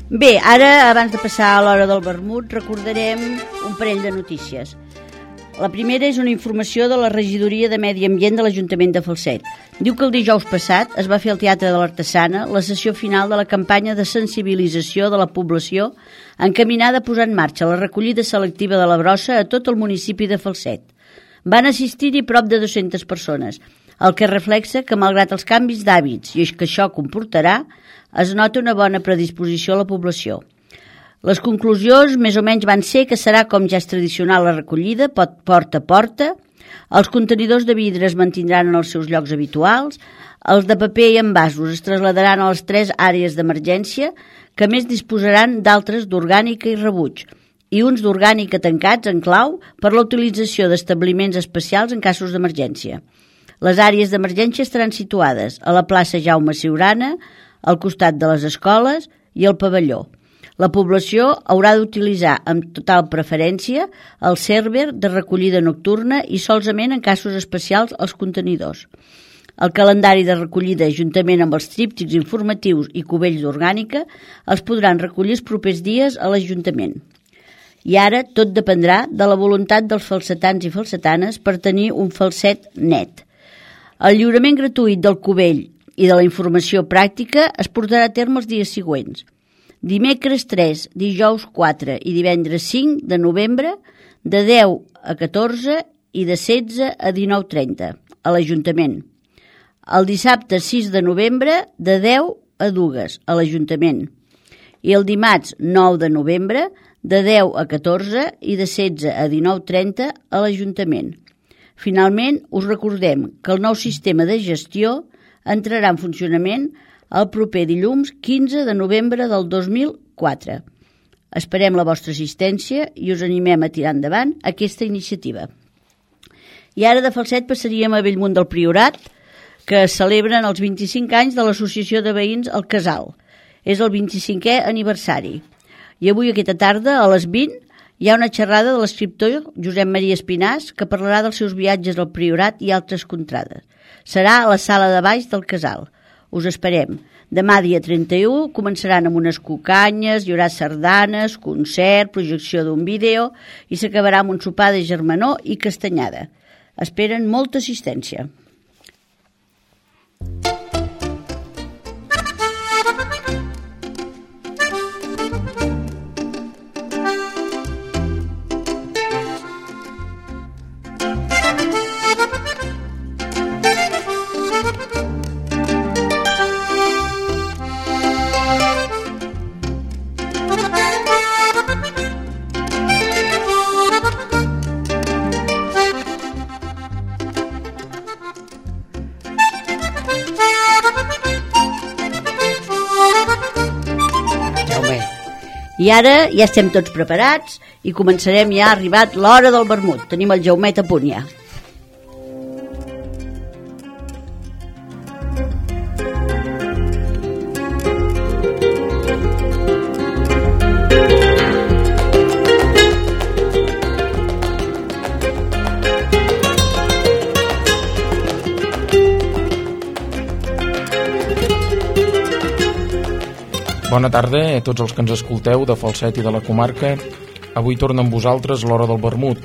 Bé, ara, abans de passar a l'hora del vermut, recordarem un parell de notícies. La primera és una informació de la regidoria de Medi Ambient de l'Ajuntament de Falset. Diu que el dijous passat es va fer al Teatre de l'Artesana la sessió final de la campanya de sensibilització de la població encaminada a posar en marxa la recollida selectiva de la brossa a tot el municipi de Falset. Van assistir-hi prop de 200 persones, el que reflexa que, malgrat els canvis d'hàbits i que això comportarà, es nota una bona predisposició a la població. Les conclusions més o menys van ser que serà com ja és tradicional la recollida, porta a porta, els contenidors de vidre es mantindran en els seus llocs habituals, els de paper i envasos es trasladaran a les 3 àrees d'emergència, que més disposaran d'altres d'orgànica i rebuig, i uns d'orgànica tancats en clau per la utilització d'establiments especials en casos d'emergència. Les àrees d'emergència estaran situades a la plaça Jaume Siurana, al costat de les escoles i al pavelló. La població haurà d'utilitzar amb total preferència el server de recollida nocturna i solament en casos especials els contenidors. El calendari de recollida, juntament amb els tríptics informatius i cubells d'orgànica, els podran recollir els propers dies a l'Ajuntament. I ara tot dependrà de la voluntat dels falsetans i falsetanes per tenir un falset net. El lliurament gratuït del cubell i de la informació pràctica es portarà a terme els dies següents. Dimecres 3, dijous 4 i divendres 5 de novembre de 10 a 14 i de 16 a 19:30 a l'Ajuntament. El dissabte 6 de novembre de 10 a 2 a l'Ajuntament. I el dimarts 9 de novembre de 10 a 14 i de 16 a 19:30 a l'Ajuntament. Finalment, us recordem que el nou sistema de gestió entrarà en funcionament el proper dilluns 15 de novembre del 2004. Esperem la vostra assistència i us animem a tirar endavant aquesta iniciativa. I ara de Falset passaríem a Bellmunt del Priorat, que celebren els 25 anys de l'Associació de Veïns El Casal. És el 25è aniversari. I avui, aquesta tarda, a les 20, hi ha una xerrada de l'escriptor Josep Maria Espinàs que parlarà dels seus viatges al Priorat i altres contrades. Serà a la sala de baix del Casal. Us esperem. Demà, dia 31, començaran amb unes cucanyes, hi haurà sardanes, concert, projecció d'un vídeo i s'acabarà amb un sopar de germanor i castanyada. Esperen molta assistència. I ara ja estem tots preparats i començarem, ja ha arribat l'hora del vermut. Tenim el Jaumet a punt ja. Bona tarda a tots els que ens escolteu de Falset i de la comarca. Avui torna amb vosaltres l'hora del vermut.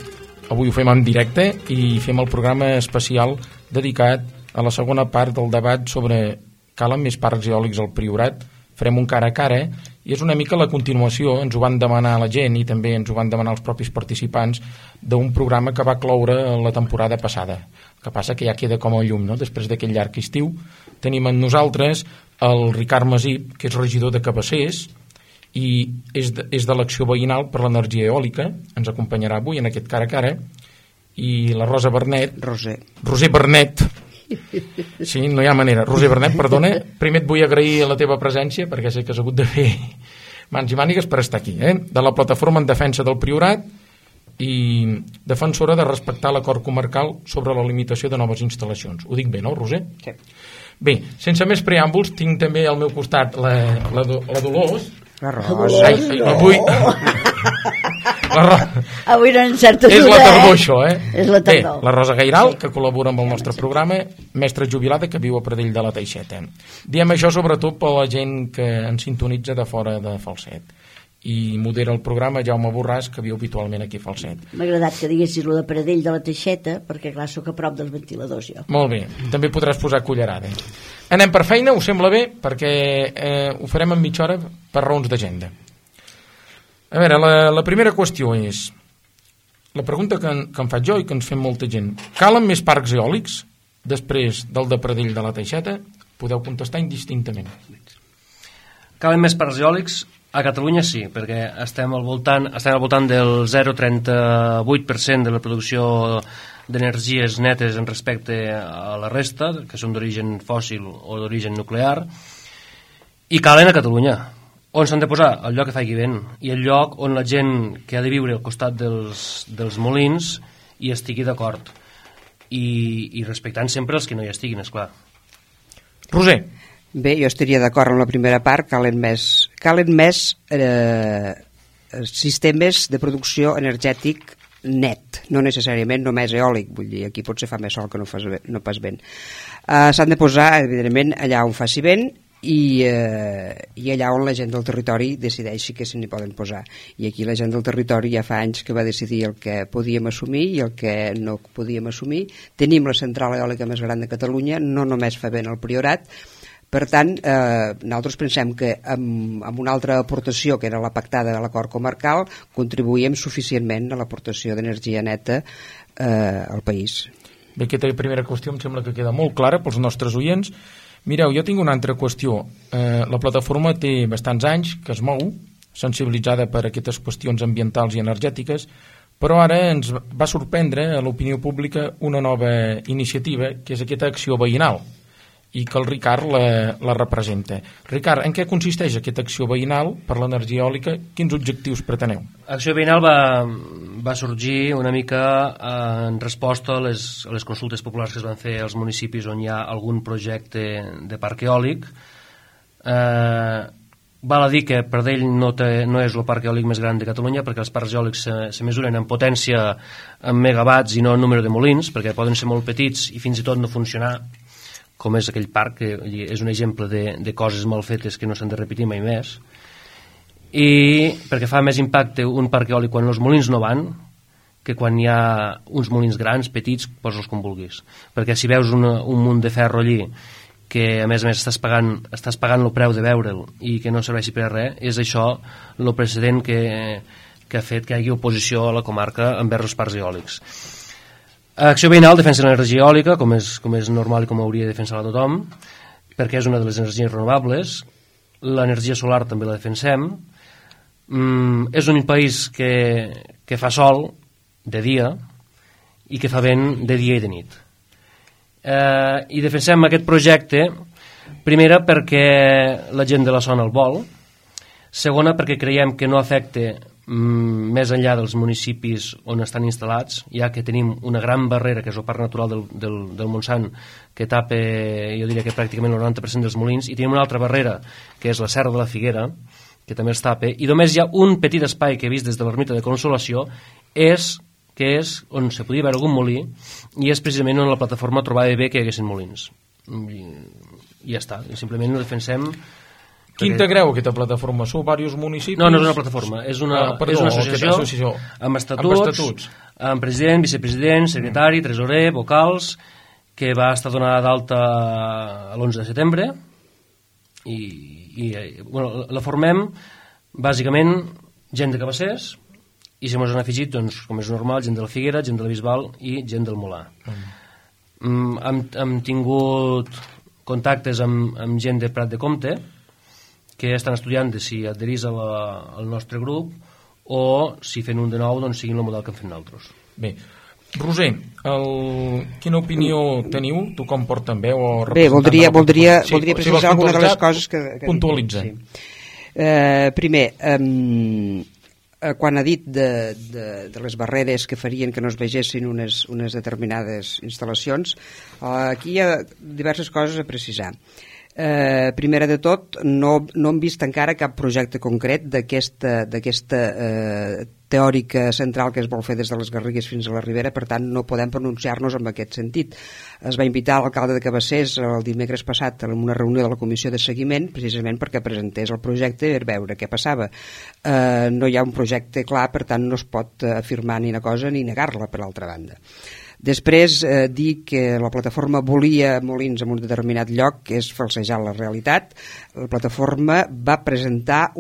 Avui ho fem en directe i fem el programa especial dedicat a la segona part del debat sobre calen més parcs eòlics al Priorat. Farem un cara a cara i és una mica la continuació, ens ho van demanar la gent i també ens ho van demanar els propis participants, d'un programa que va cloure la temporada passada. El que passa que ja queda com a llum, no? Després d'aquell llarg estiu tenim amb nosaltres el Ricard Masip, que és regidor de Cabassers i és de l'Acció Veïnal per l'Energia Eòlica, ens acompanyarà avui en aquest cara a cara, i la Roser Bernet, sí, no hi ha manera, Roser Bernet, perdona, primer et vull agrair la teva presència perquè sé que has hagut de fer mans i mànigues per estar aquí, de la plataforma en defensa del Priorat i defensora de respectar l'acord comarcal sobre la limitació de noves instal·lacions. Ho dic bé, no, Roser? Sí. Bé, sense més preàmbuls, tinc també al meu costat la Dolors. La Rosa. Avui no encertes És una, la tardor, això, És la tardor. Bé, la Rosa Gairal, que col·labora amb el nostre programa, mestra jubilada que viu a Pradell de la Teixeta. Diem això sobretot per la gent que ens sintonitza de fora de Falset. I modera el programa Jaume Borràs, que viu habitualment aquí a Falset. M'ha agradat que diguessis lo de Pradell de la Teixeta, perquè clar, sóc a prop dels ventiladors jo. Molt bé, també podràs posar cullerada. Anem per feina, us sembla bé? Perquè ho farem en mitja hora per raons d'agenda. A veure, la primera qüestió és la pregunta que em faig jo i que ens fem molta gent. Calen més parcs eòlics després del de Pradell de la Teixeta? Podeu contestar indistintament. Calen més parcs eòlics? A Catalunya sí, perquè estem al voltant del 0,38% de la producció d'energies netes en respecte a la resta, que són d'origen fòssil o d'origen nuclear, i calen a Catalunya. On s'han de posar? El lloc que faci vent, i el lloc on la gent que ha de viure al costat dels molins hi estigui d'acord, i respectant sempre els que no hi estiguin, esclar. Roser. Bé, jo estaria d'acord amb la primera part, calen més sistemes de producció energètic net, no necessàriament només eòlic, vull dir, aquí potser fa més sol que no pas vent. S'han de posar, evidentment, allà on faci vent i allà on la gent del territori decideixi que se n'hi poden posar. I aquí la gent del territori ja fa anys que va decidir el que podíem assumir i el que no podíem assumir. Tenim la central eòlica més gran de Catalunya, no només fa vent al Priorat. Per tant, nosaltres pensem que amb una altra aportació, que era la pactada de l'acord comarcal, contribuïm suficientment a l'aportació d'energia neta al país. Bé, aquesta primera qüestió em sembla que queda molt clara pels nostres oients. Mireu, jo tinc una altra qüestió. La plataforma té bastants anys que es mou, sensibilitzada per aquestes qüestions ambientals i energètiques, però ara ens va sorprendre a l'opinió pública una nova iniciativa, que és aquesta acció veïnal, i que el Ricard la representa. Ricard, en què consisteix aquesta acció veïnal per l'energia eòlica? Quins objectius preteneu? L'acció veïnal va sorgir una mica en resposta a les consultes populars que es van fer als municipis on hi ha algun projecte de parc eòlic. Val a dir que Pradell no és el parc eòlic més gran de Catalunya, perquè els parcs eòlics se mesuren en potència en megawatts i no en número de molins, perquè poden ser molt petits i fins i tot no funcionar, com és aquell parc, que és un exemple de coses mal fetes que no s'han de repetir mai més, i perquè fa més impacte un parc eòlic quan els molins no van que quan hi ha uns molins grans, petits, posa'ls com vulguis, perquè si veus un munt de ferro allí que a més estàs pagant el preu de veure'l i que no serveixi per a res, és això el precedent que ha fet que hi hagi oposició a la comarca envers els parcs eòlics. Acció veïnal defensa l'energia eòlica, com és normal i com hauria de defensar-la tothom, perquè és una de les energies renovables. L'energia solar també la defensem. És un país que fa sol de dia i que fa vent de dia i de nit. I defensem aquest projecte, primera perquè la gent de la zona el vol, segona perquè creiem que no afecta més enllà dels municipis on estan instal·lats, ja que tenim una gran barrera, que és el parc natural del Montsant, que tapa, jo diria que pràcticament el 90% dels molins, i tenim una altra barrera, que és la Serra de la Figuera, que també es tapa, i només hi ha un petit espai que he vist des de l'ermita de Consolació, que és on se podia veure algun molí, i és precisament on la plataforma trobava bé que hi haguessin molins. I ja està, simplement ho defensem. Qui integreu aquesta plataforma? Sou diversos municipis? No és una plataforma, és una associació amb estatuts, amb president, vicepresident, secretari, tresorer, vocals, que va estar donada d'alta l'11 de setembre i la formem bàsicament gent de Cabassers i se mos han afegit, doncs, com és normal, gent de la Figuera, gent de la Bisbal i gent del Molar. Hem tingut contactes amb gent de Prat de Comte que estan estudiant de si adherís al nostre grup o si fent un de nou doncs siguin el model que hem fet nosaltres. Bé, Roser, quina opinió teniu? Tu com porten veu o Bé, voldria precisar alguna de les coses que puntualitza. Sí. Primer, quan ha dit de les barreres que farien que no es vegessin unes determinades instal·lacions, aquí hi ha diverses coses a precisar. Primera de tot, no hem vist encara cap projecte concret d'aquesta teòrica central que es vol fer des de les Garrigues fins a la Ribera, per tant no podem pronunciar-nos en aquest sentit. Es va invitar l'alcalde de Cabassers el dimecres passat en una reunió de la comissió de seguiment precisament perquè presentés el projecte per veure què passava. No hi ha un projecte clar, per tant no es pot afirmar ni una cosa ni negar-la, per altra banda. Després, dir que la plataforma volia molins en un determinat lloc és falsejar la realitat. La plataforma va presentar,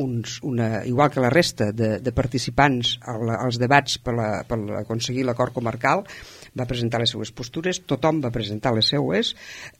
igual que la resta de participants als debats per aconseguir l'acord comarcal, va presentar les seues postures, tothom va presentar les seues.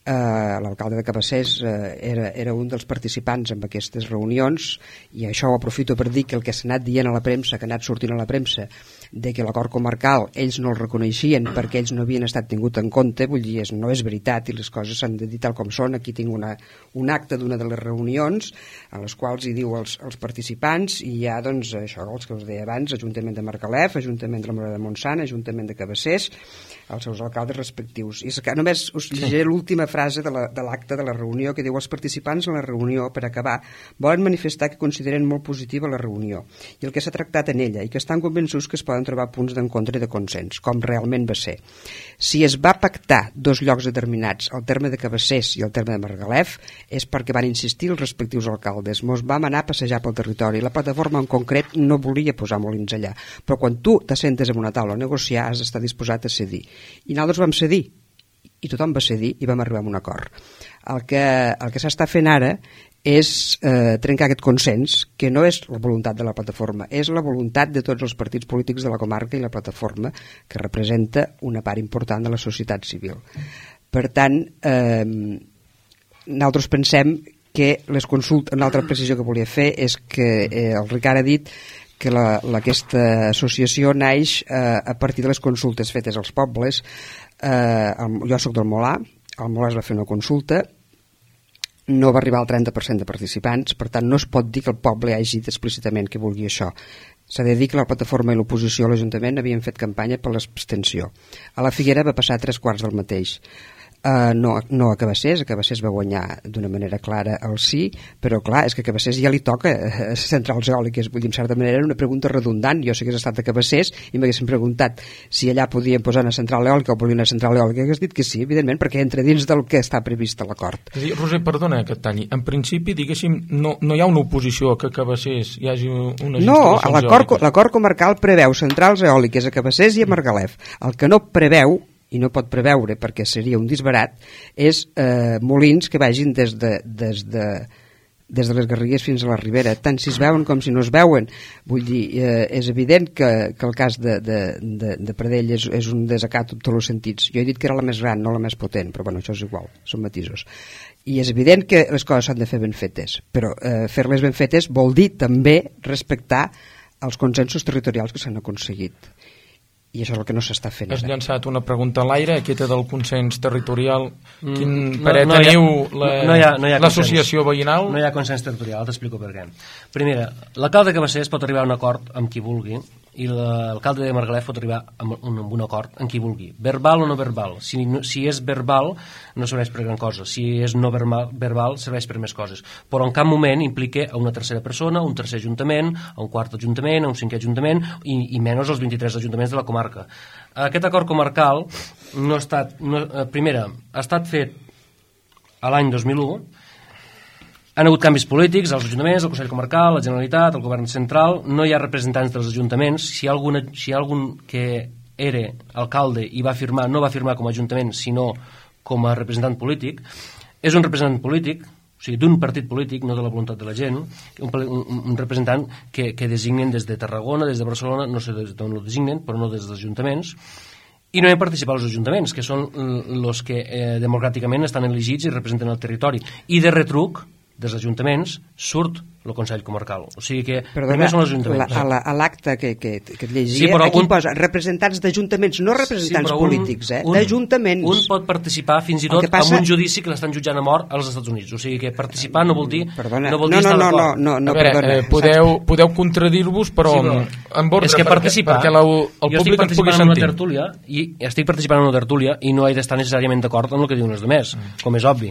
L'alcalde de Cabassers era un dels participants en aquestes reunions, i això ho aprofito per dir que el que s'ha anat dient a la premsa, que ha anat sortint a la premsa, de que l'acord comarcal ells no el reconeixien perquè ells no havien estat tingut en compte, vull dir, no és veritat i les coses s'han de dir tal com són. Aquí tinc un acte d'una de les reunions a les quals hi diu els participants, i hi ha, doncs, això, els que us deia abans, Ajuntament de Margalef, Ajuntament de la Morera de Montsant, Ajuntament de Cabassers, els seus alcaldes respectius. I és que només us llegiré l'última frase de l'acte de la reunió, que diu: els participants en la reunió, per acabar, volen manifestar que consideren molt positiva la reunió i el que s'ha tractat en ella, i que estan convençuts que es poden trobar punts d'encontre i de consens, com realment va ser. Si es va pactar dos llocs determinats, el terme de Cabassers i el terme de Margalef, és perquè van insistir els respectius alcaldes. Mos vam anar a passejar pel territori. La plataforma en concret no volia posar molins allà, però quan tu t'assentes en una taula a negociar has d'estar disposat a cedir. I nosaltres vam cedir, i tothom va cedir, i vam arribar a un acord. El que s'està fent ara és trencar aquest consens, que no és la voluntat de la plataforma, és la voluntat de tots els partits polítics de la comarca i la plataforma, que representa una part important de la societat civil. Per tant, nosaltres pensem que les consultes, una altra precisió que volia fer és que el Ricard ha dit que aquesta associació naix a partir de les consultes fetes als pobles. Jo soc del Molar, al Molar es va fer una consulta, no va arribar al 30% de participants, per tant no es pot dir que el poble hagi dit explícitament que vulgui això. S'ha de dir que la plataforma i l'oposició a l'Ajuntament havien fet campanya per l'abstenció. A la Figuera va passar 3/4 del mateix. No a Cabassers va guanyar d'una manera clara el sí, però clar, és que a Cabassers ja li toca centrals eòliques. Vull dir, en certa manera era una pregunta redundant. Jo si hagués estat a Cabassers i m'haguessin preguntat si allà podien posar una central eòlica o volia una central eòlica, hagués dit que sí, evidentment, perquè entra dins del que està previst a l'acord. Roser, perdona que et talli. En principi, diguéssim, no hi ha una oposició a que a Cabassers hi hagi unes instal·lacions eòliques. L'acord comarcal preveu centrals eòliques a Cabassers i a Margalef. El que no preveu, i no pot preveure perquè seria un disbarat, és molins que vagin des de les Garrigues fins a la Ribera, tant si es veuen com si no es veuen. Vull dir, és evident que el cas de Pradell és un desacat en tots els sentits. Jo he dit que era la més gran, no la més potent, però bueno, això és igual, són matisos. I és evident que les coses s'han de fer ben fetes, però fer-les ben fetes vol dir també respectar els consensos territorials que s'han aconseguit. I això és el que no s'està fent. Has llançat una pregunta a l'aire, aquesta del consens territorial. Quin parer teniu l'associació veïnal? No hi ha consens territorial, t'explico per què. Primera, l'alcalde de Cabassers pot arribar a un acord amb qui vulgui i l'alcalde de Margalef pot arribar a un acord amb qui vulgui. Verbal o no verbal. Si és verbal no serveix per gran cosa. Si és no verbal serveix per més coses. Però en cap moment implica a una tercera persona, a un tercer ajuntament, a un quart ajuntament, a un cinquè ajuntament i menys els 23 ajuntaments de la comarca. Aquest acord comarcal no ha estat, primera, ha estat fet a l'any 2001. Han hagut canvis polítics als ajuntaments, al Consell Comarcal, la Generalitat, el Govern Central. No hi ha representants dels ajuntaments. Si hi ha algun que era alcalde i va firmar, no va firmar com a ajuntament, sinó com a representant polític. És un representant polític, o sigui, d'un partit polític, no de la voluntat de la gent, un representant que designen des de Tarragona, des de Barcelona, no sé d'on ho designen, però no des dels ajuntaments. I no hi ha participat els ajuntaments, que són els que democràticament estan elegits i representen el territori. I de retruc, dels ajuntaments surt el Consell Comarcal. O sigui que primer són els ajuntaments. A l'acte que et llegia, sí, aquí posa representants d'ajuntaments, no representants polítics, d'ajuntaments. Un pot participar fins i tot en un judici que l'estan jutjant a mort als Estats Units. O sigui que participar no vol dir estar d'acord. No, podeu contradir-vos, però en ordre, és que participar, perquè el públic ens pugui sentir. Estic participant en una tertúlia i no he d'estar necessàriament d'acord amb el que diuen els altres, com és obvi.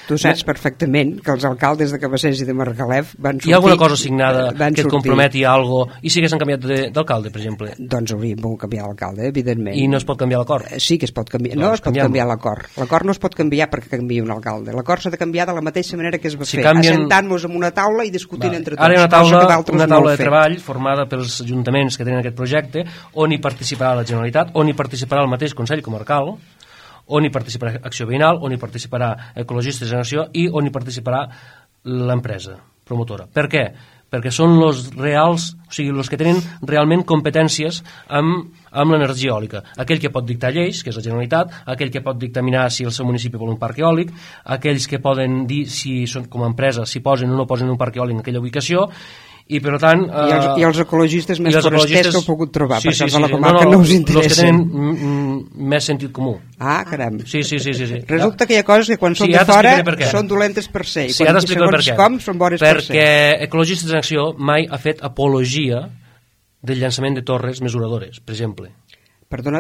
Tu saps perfectament que els alcaldes de Cabassers i de Margalef van sortir... Hi ha alguna cosa signada que et comprometi a alguna cosa i si haguessin canviat d'alcalde, per exemple? Doncs hauríem pogut canviar l'alcalde, evidentment. I no es pot canviar l'acord? Sí que es pot canviar. No es pot canviar l'acord. L'acord no es pot canviar perquè canviï un alcalde. L'acord s'ha de canviar de la mateixa manera que es va fer, assentant-nos en una taula i discutint entre tots. Ara hi ha una taula de treball formada pels ajuntaments que tenen aquest projecte, on hi participarà la Generalitat, on hi participarà el mateix Consell Comarcal, on hi participarà Acció Veïnal, on hi participarà Ecologistes en Acció i on hi participarà l'empresa promotora. Per què? Perquè són els reals, o sigui, els que tenen realment competències amb l'energia eòlica. Aquell que pot dictar lleis, que és la Generalitat, aquell que pot dictaminar si el seu municipi vol un parc eòlic, aquells que poden dir si són com a empresa, si posen o no posen un parc eòlic en aquella ubicació, i per tant... I els ecologistes més forasters que heu pogut trobar, perquè els de la comarca no us interessen. Els que tenen més sentit comú. Ah, caram. Sí. Resulta que hi ha coses que quan són de fora són dolentes per ser, i quan segons com són bones per ser. Perquè Ecologistes en Acció mai ha fet apologia del llançament de torres mesuradores, per exemple. Perdona,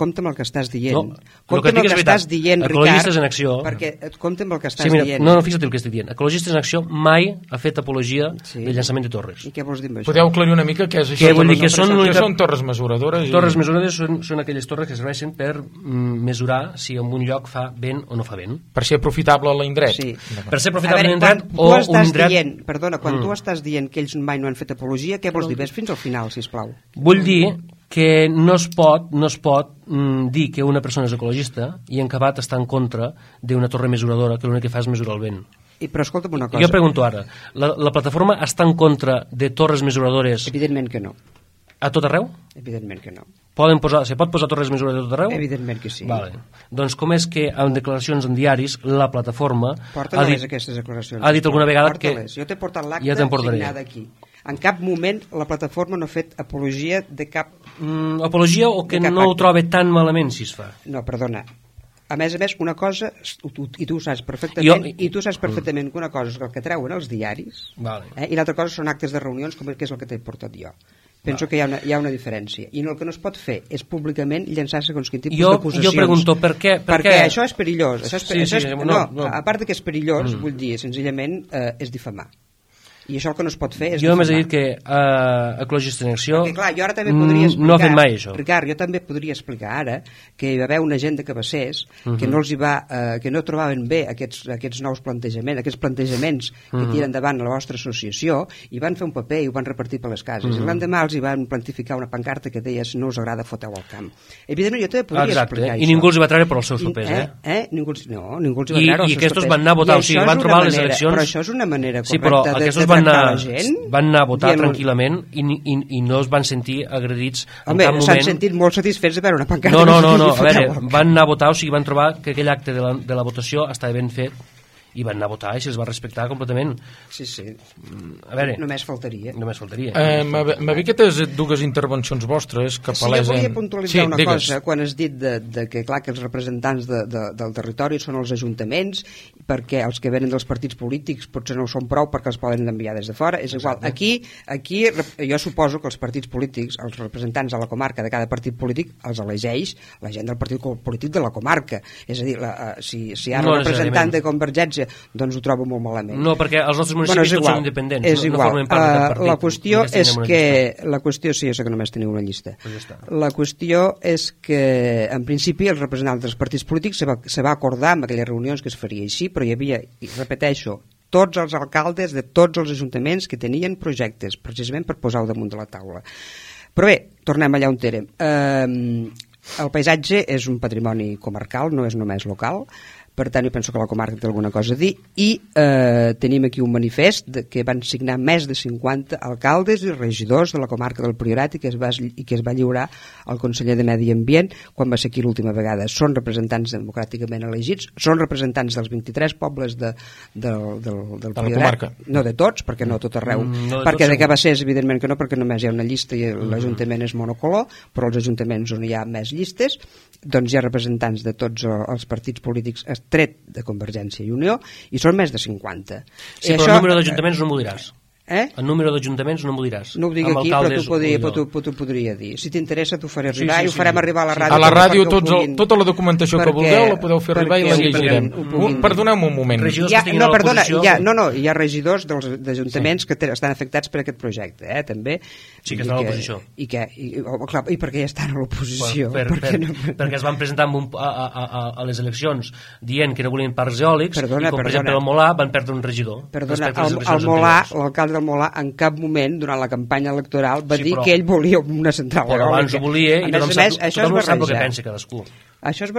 compta amb el que estàs dient. Compta amb el que estàs dient, Ecologistes en Acció... Perquè compta amb el que estàs dient. No, fixa't el que estic dient. Ecologistes en Acció mai ha fet apologia del llançament de torres. I què vols dir amb això? Podeu aclarir una mica què és això? Què vol dir que són torres mesuradores? Torres mesuradores són aquelles torres que serveixen per mesurar si en un lloc fa vent o no fa vent. Per ser aprofitable l'indret. Sí. Per ser aprofitable l'indret o un indret... Perdona, quan tu estàs dient que ells mai no han fet apologia, què vols dir? Ves fins al final, sisplau. Vull dir que no es pot dir que una persona és ecologista i en acabat està en contra d'una torre mesuradora que l'únic que fa és mesurar el vent. Però escolta'm una cosa. Jo pregunto ara, la plataforma està en contra de torres mesuradores? Evidentment que no. A tot arreu? Evidentment que no. Se pot posar torres mesuradores a tot arreu? Evidentment que sí. Vale. Doncs com és que en declaracions en diaris la plataforma aquestes declaracions. Ha dit alguna vegada que... Jo t'he portat l'acte signada aquí. En cap moment la plataforma no ha fet apologia de cap... apologia o que no ho troba tan malament si es fa? No, perdona. A més, una cosa, i tu saps perfectament que una cosa és el que treuen els diaris, i l'altra cosa són actes de reunions, com que és el que t'he portat jo. Penso que hi ha una diferència. I el que no es pot fer és públicament llançar segons quin tipus d'acusacions. Jo pregunto per què... Perquè això és perillós. A part que és perillós, vull dir, senzillament és difamar. I això el que no es pot fer és jo només he dit que Ecologistes en Acció perquè, clar, jo ara també podria explicar, no ha fet mai això. Ricard, jo també podria explicar ara que hi va haver una gent de Cabassers que no els hi va, que no trobaven bé aquests nous plantejaments, aquests plantejaments que tiren endavant a la vostra associació, i van fer un paper i ho van repartir per les cases. I l'endemà els hi van plantificar una pancarta que deia si no us agrada foteu al camp. Evidentment jo també podria explicar això. I ningú els hi va treure per els seus papers, ningú els hi va treure els seus papers. I aquests van anar a votar, o sigui, van trobar les eleccions... Però això és una manera correcta de tractar la gent. Van anar a votar tranquil·lament i no es van sentir agredits en cap moment. S'han sentit molt satisfets de veure una pancarta. No, a veure, van anar a votar, o sigui, van trobar que aquell acte de la votació estava ben fet i van anar a votar i se'ls va respectar completament. Sí. A veure, només faltaria. M'ha vist aquestes dues intervencions vostres que palesen... Sí, jo volia puntualitzar una cosa quan has dit que clar que els representants del territori són els ajuntaments, perquè els que venen dels partits polítics potser no ho són prou perquè els poden enviar des de fora. És igual. Aquí jo suposo que els partits polítics, els representants de la comarca de cada partit polític, els elegeix la gent del partit polític de la comarca. És a dir, si ara el representant de Convergència doncs ho trobo molt malament. No, perquè els nostres municipis tots són independents. És igual. No formen part de cap partit. La qüestió és que... sí, jo sé que només teniu una llista. La qüestió és que, en principi, els representants dels partits polítics se va acordar en aquelles reunions que es faria així, però hi havia, i repeteixo, tots els alcaldes de tots els ajuntaments que tenien projectes, precisament per posar-ho damunt de la taula. Però bé, tornem allà on érem. El paisatge és un patrimoni comarcal, no és només local. Per tant, jo penso que la comarca té alguna cosa a dir, i tenim aquí un manifest que van signar més de 50 alcaldes i regidors de la comarca del Priorat i que es va lliurar al conseller de Medi Ambient quan va ser aquí l'última vegada. Són representants democràticament elegits, són representants dels 23 pobles del Priorat, no de tots, perquè no tot arreu, perquè de Cabassers evidentment que no, perquè només hi ha una llista i l'Ajuntament és monocolor, però els ajuntaments on hi ha més llistes, doncs hi ha representants de tots els partits polítics tret de Convergència i Unió, i són més de 50. Sí, però el número d'ajuntaments no m'ho diràs. El número d'ajuntaments no m'ho diràs. No ho dic aquí, però t'ho podria dir. Si t'interessa t'ho faré arribar i ho farem arribar a la ràdio. A la ràdio tota la documentació que vulgueu la podeu fer arribar i la llegirem. Perdoneu-me un moment. Hi ha regidors d'ajuntaments que estan afectats per aquest projecte, també. Sí, que estan a l'oposició. I per què estan a l'oposició? Perquè es van presentar a les eleccions dient que no volien parcs eòlics i com per exemple el Molà van perdre un regidor. Perdona, el Molà, l'alcalde del Molà en cap moment durant la campanya electoral va dir que ell volia una central eòlica. Però abans ho volia i tothom sap el que pensa cadascú. Això es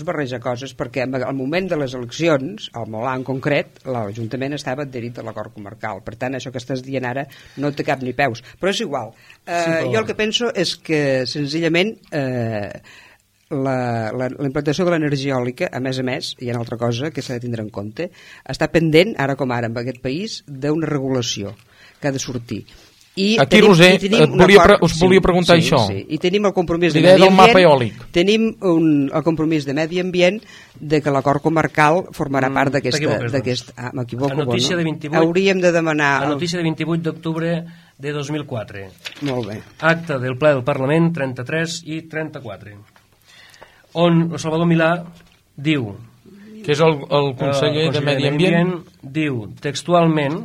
barreja coses perquè al moment de les eleccions, al Molà en concret, l'Ajuntament estava adherit a l'acord comarcal. Per tant, això que estàs dient ara no té cap ni peus. Però és igual. Jo el que penso és que senzillament la implantació de l'energia eòlica, a més, hi ha una altra cosa que s'ha de tindre en compte, està pendent, ara com ara, en aquest país, d'una regulació que ha de sortir. Aquí, Roser, us volia preguntar això. I tenim el compromís de medi ambient, tenim el compromís de medi ambient de que l'acord comarcal formarà part d'aquest... M'equivoco, hauríem de demanar... La notícia de 28 d'octubre de 2004. Molt bé. Acte del ple del Parlament 33 i 34. On el Salvador Milà diu, que és el conseller de Medi Ambient, diu textualment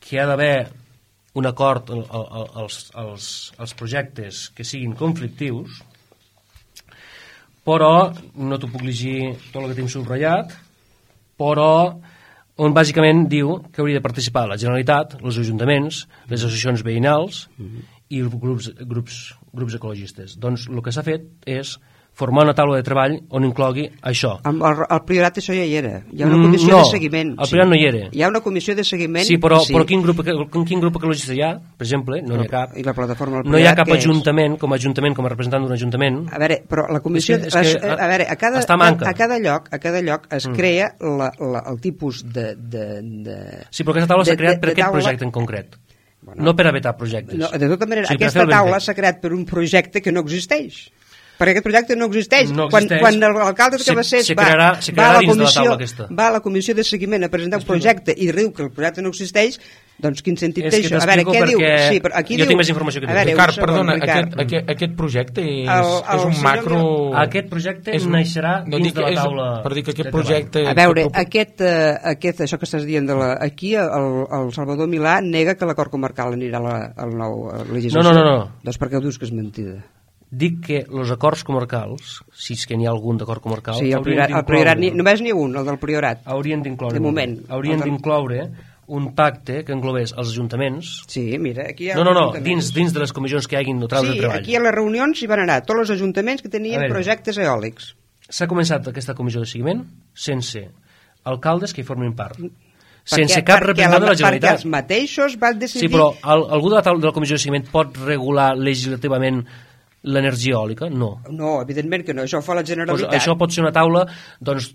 que hi ha d'haver un acord als projectes que siguin conflictius, però no t'ho puc llegir tot el que tinc subratllat, però on bàsicament diu que hauria de participar la Generalitat, els ajuntaments, les associacions veïnals i els grups ecologistes. Doncs el que s'ha fet és formar una taula de treball on inclogui això. Al Priorat això ja hi era. Hi ha una comissió de seguiment. No, al Priorat no hi era. Hi ha una comissió de seguiment. Sí, però quin grup ecologista hi ha? Per exemple, no hi ha cap. I la plataforma no hi ha cap ajuntament, com a representant d'un ajuntament. A veure, però la comissió... A cada lloc es crea el tipus de... Sí, però aquesta taula s'ha creat per aquest projecte en concret. No per a vetar projectes. De tota manera, aquesta taula s'ha creat per un projecte que no existeix. Perquè aquest projecte no existeix. Quan l'alcalde de Cabassers va a la comissió de seguiment a presentar un projecte i diu que el projecte no existeix, doncs quin sentit té això? A veure, què diu? Jo tinc més informació que tu. Ricard, perdona, aquest projecte és un macro... Aquest projecte naixerà dins de la taula... Per dir que aquest projecte... A veure, això que estàs dient, aquí el Salvador Milà nega que l'acord comarcal anirà al nou legislació. No. Doncs per què ho dius que és mentida? Dic que els acords comarcals, si és que n'hi ha algun d'acord comarcal... Sí, el Priorat, només n'hi ha un, el del Priorat. Haurien d'incloure... De moment. Haurien d'incloure un pacte que englobés els ajuntaments... Sí, mira, aquí hi ha... No, dins de les comissions que hi hagin neutrals de treball. Sí, aquí a les reunions hi van anar tots els ajuntaments que tenien projectes eòlics. S'ha començat aquesta comissió de seguiment sense alcaldes que hi formin part. Sense cap representant de la Generalitat. Perquè els mateixos van decidir... Sí, però algú de la comissió de seguiment pot regular legislativament l'energia eòlica? No, evidentment que no, això ho fa la Generalitat. Això pot ser una taula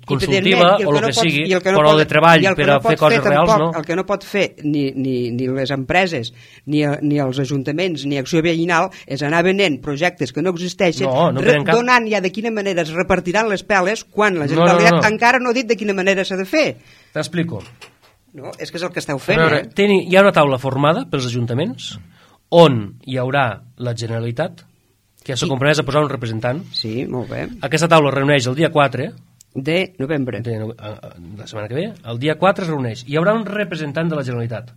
consultiva o el que sigui, però de treball per a fer coses reals, no? El que no pot fer ni les empreses, ni els ajuntaments, ni Acció Veïnal, és anar venent projectes que no existeixen, donant ja de quina manera es repartiran les peles quan la Generalitat encara no ha dit de quina manera s'ha de fer. T'explico. No, és que és el que esteu fent. Hi ha una taula formada pels ajuntaments on hi haurà la Generalitat, que s'ha compromès a posar un representant. Sí, molt bé. Aquesta taula es reuneix el dia 4 de novembre. La setmana que ve. El dia 4 es reuneix. Hi haurà un representant de la Generalitat,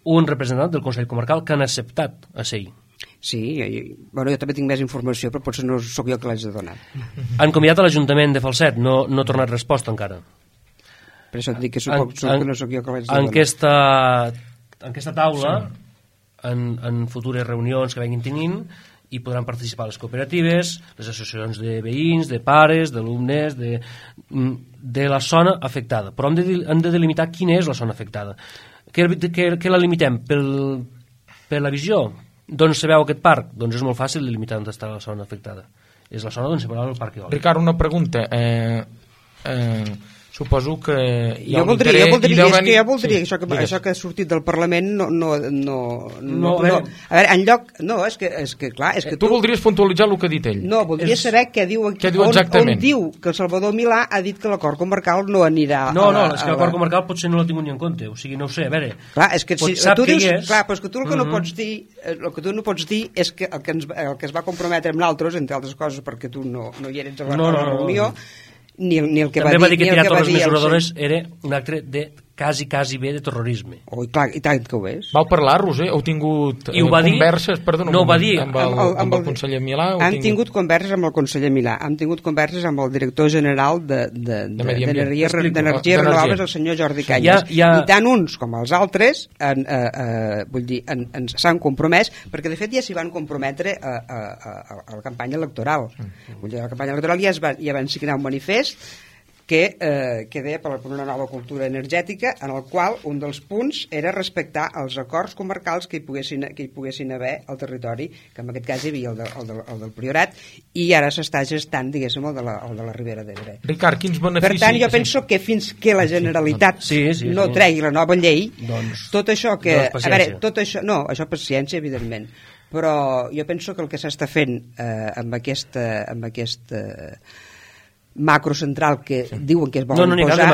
un representant del Consell Comarcal que han acceptat a ser-hi. Sí, jo també tinc més informació, però potser no sóc jo que l'haig de donar. Han convidat a l'Ajuntament de Falset, no ha tornat resposta encara. Per això et dic que no sóc jo que l'haig de donar. En aquesta taula, en futures reunions que vinguin tenint, hi podran participar les cooperatives, les associacions de veïns, de pares, d'alumnes, de la zona afectada. Però hem de delimitar quina és la zona afectada. Què la limitem? Per la visió? D'on se veu aquest parc? Doncs és molt fàcil delimitar on està la zona afectada. És la zona d'on se veu el parc eòlic. Ricard, una pregunta. Suposo que hi ha jo un interès... jo voldria Sí, això que ha sortit del Parlament no, a veure, en lloc... No, és que clar... És que Tu voldries puntualitzar el que ha dit ell? No, voldria saber què diu aquí. Què diu exactament? On diu que el Salvador Milà ha dit que l'acord comarcal no anirà... No, és que l'acord comarcal potser no l'ha tingut ni en compte, o sigui, no ho sé, a veure... Clar, és que si sap tu que dius... hi és... Clar, però és que tu el que no pots dir... El que tu no pots dir és que el que es va comprometre amb nosaltres, entre altres coses perquè tu no hi eres a la reunió, ni el que també va dir que tirar totes les dir mesuradores era un acte de quasi bé de terrorisme. Oh, clar, i tant que ho és. Vau parlar, Roser? Heu tingut converses? Perdona, no ho va dir. Amb el conseller Milà? Hem tingut converses amb el conseller Milà, hem tingut converses amb el director general d'Energies Renovables, el senyor Jordi Cañas. I tant uns com els altres s'han compromès, perquè de fet ja s'hi van comprometre a la campanya electoral. Vull dir, a la campanya electoral ja van signar un manifest que deia per una nova cultura energètica, en el qual un dels punts era respectar els acords comarcals que hi poguessin haver al territori, que en aquest cas hi havia el del Priorat, i ara s'està gestant, diguéssim, el de la Ribera d'Ebre. Ricard, quins beneficis... Per tant, jo penso que fins que la Generalitat no tregui la nova llei, tot això que... A veure, tot això... No, això paciència, evidentment, però jo penso que el que s'està fent amb aquest macrocentral que diuen que es volen posar,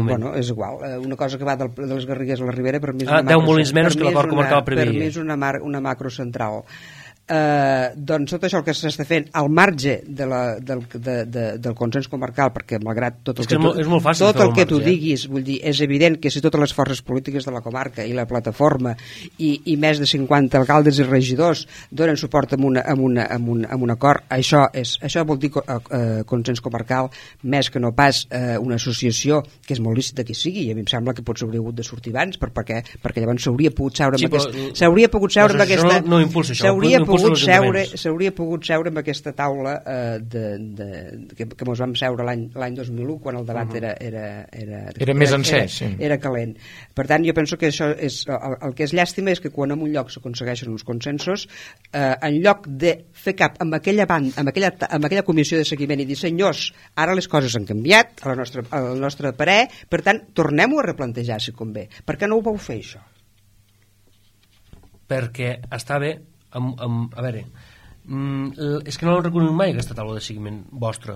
bueno, és igual, una cosa que va de les Garrigues a la Ribera, per mi és 10 molins menys que l'acord comarcal preveia. Per mi és una macrocentral. Doncs tot això el que s'està fent al marge del consens comarcal, perquè malgrat tot el que tu diguis, vull dir, és evident que si totes les forces polítiques de la comarca i la plataforma i més de 50 alcaldes i regidors donen suport amb un acord, això vol dir consens comarcal, més que no pas una associació que és molt lícita que sigui, i a mi em sembla que potser hauria hagut de sortir abans, perquè llavors s'hauria pogut seure amb aquesta... S'hauria pogut seure amb aquesta taula que mos vam seure l'any 2001 quan el debat era més encès, era calent. Per tant, jo penso que això és el que és llàstima, és que quan en un lloc s'aconsegueixen uns consensos, en lloc de fer cap amb aquella comissió de seguiment i dir, senyors, ara les coses han canviat al nostre parer, per tant, tornem-ho a replantejar si convé. Per què no ho vau fer, això? Perquè està bé. A veure, és que no l'he reconegut mai aquesta taula de seguiment vostra,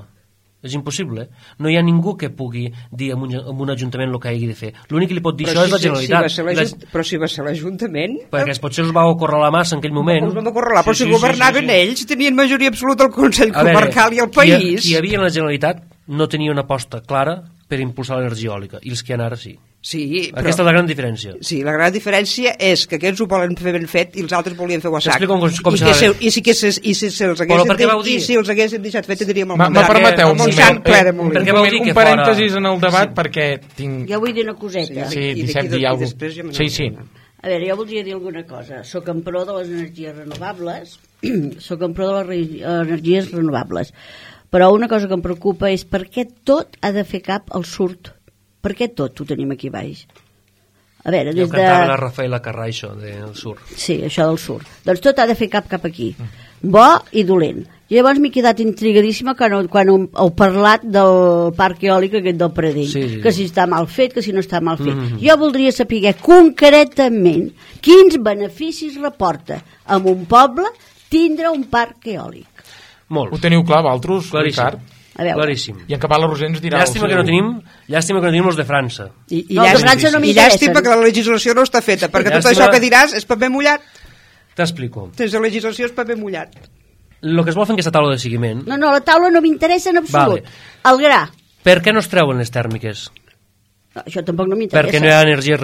és impossible. No hi ha ningú que pugui dir a un ajuntament el que hagi de fer. L'únic que li pot dir això és la Generalitat. Però si va ser l'Ajuntament, perquè potser els va ocórrer la massa en aquell moment. Els vam ocórrer la, però si governaven ells, tenien majoria absoluta al Consell Comarcal i al país. Qui hi havia en la Generalitat no tenia una aposta clara per impulsar l'energia eòlica, i els que hi ha ara sí. Sí, però, aquesta és la gran diferència. Sí, la gran diferència és que aquests ho volen fer ben fet i els altres volien fer-ho a sac. I si els haguessin deixat fet tindríem el món. Permeteu un moment, un parèntesis en el debat perquè tinc... Jo vull dir una coseta. Sí, Dissep, dir alguna cosa. Sí. A veure, jo voldria dir alguna cosa. Soc en pro de les energies renovables, però una cosa que em preocupa és per què tot ha de fer cap al sud. Per què tot ho tenim aquí baix? A veure, des de... cantava la Rafaela Carrà, això del sur. Sí, això del sur. Doncs tot ha de fer cap aquí. Bo i dolent. I llavors m'he quedat intrigadíssima quan heu parlat del parc eòlic aquest del Pradell, que si està mal fet, que si no està mal fet. Jo voldria saber concretament quins beneficis reporta a un poble tindre un parc eòlic. Molt. Ho teniu clar, vosaltres, Ricard? Claríssim. I en Cabal Roser ens dirà... Llàstima que no tenim els de França. I llàstima que la legislació no està feta, perquè tot això que diràs és paper mullat. T'explico. Sense legislació és paper mullat. El que es vol fer en aquesta taula de seguiment... No, la taula no m'interessa en absolut. El gra. Per què no es treuen les tèrmiques? No, això tampoc no m'interessa. Perquè no hi ha energies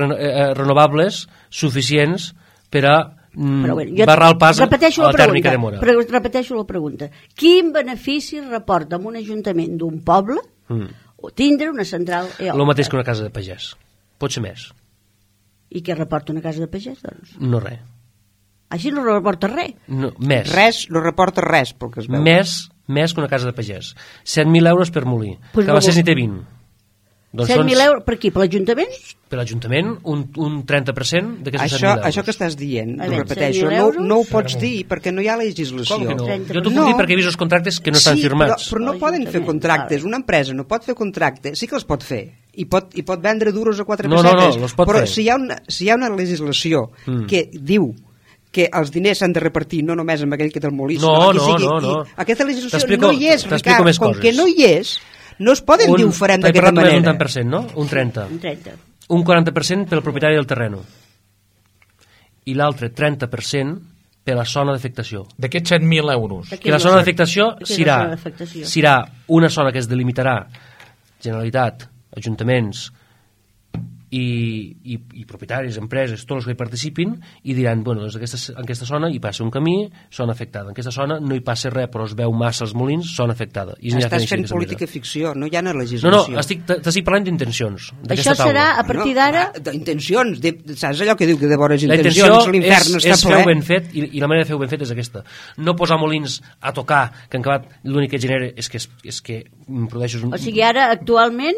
renovables suficients per a barrar el pas a la tèrmica de Mora. Repeteixo la pregunta. Quin benefici reporta a un ajuntament d'un poble tindre una central eòlica? El mateix que una casa de pagès. Pot ser més. I què reporta una casa de pagès, doncs? No res. Així no reporta res? No, més. No reporta res, pel que es veu. Més que una casa de pagès. 7.000 euros per molí. Cabacés n'hi té 20. 7.000 euros per qui? Per l'Ajuntament? Per l'Ajuntament, un 30% d'aquests 7.000 euros. Això que estàs dient, A ho veure, repeteixo, 7.000 euros? no ho pots dir perquè no hi ha legislació. Com que no? 30%. Jo t'ho puc dir perquè he vist els contractes que no estan firmats. Però no poden fer contractes. Una empresa no pot fer contractes, sí que els pot fer, i pot vendre duros a 4 pessetes, els pot però fer. si hi ha una legislació que diu que els diners s'han de repartir no només amb aquell que té el molí, No. aquesta legislació no hi és, Ricard, com que no hi és, no es poden dir ho farem d'aquesta manera. Un 30%, no? Un 30%. Un 30. Un 40% pel propietari del terreno. I l'altre 30% per la zona d'afectació. D'aquests 7.000 euros. Que la zona d'afectació Què és la zona d'afectació? serà una zona que es delimitarà Generalitat, ajuntaments i propietaris, empreses, tots els que hi participin, i diran, bueno, doncs en aquesta zona hi passa un camí, zona afectada. En aquesta zona no hi passa res, però es veu massa els molins, zona afectada. Estàs fent política ficció, no hi ha una legislació. No, t'estic parlant d'intencions. Això serà, a partir d'ara... D'intencions, saps allò que diu que de vores la intencions l'infern està és ple? fer-ho ben fet, i la manera de fer-ho ben fet és aquesta. No posar molins a tocar, que en acabat l'únic que genera és que produeixes un... O sigui, ara, actualment,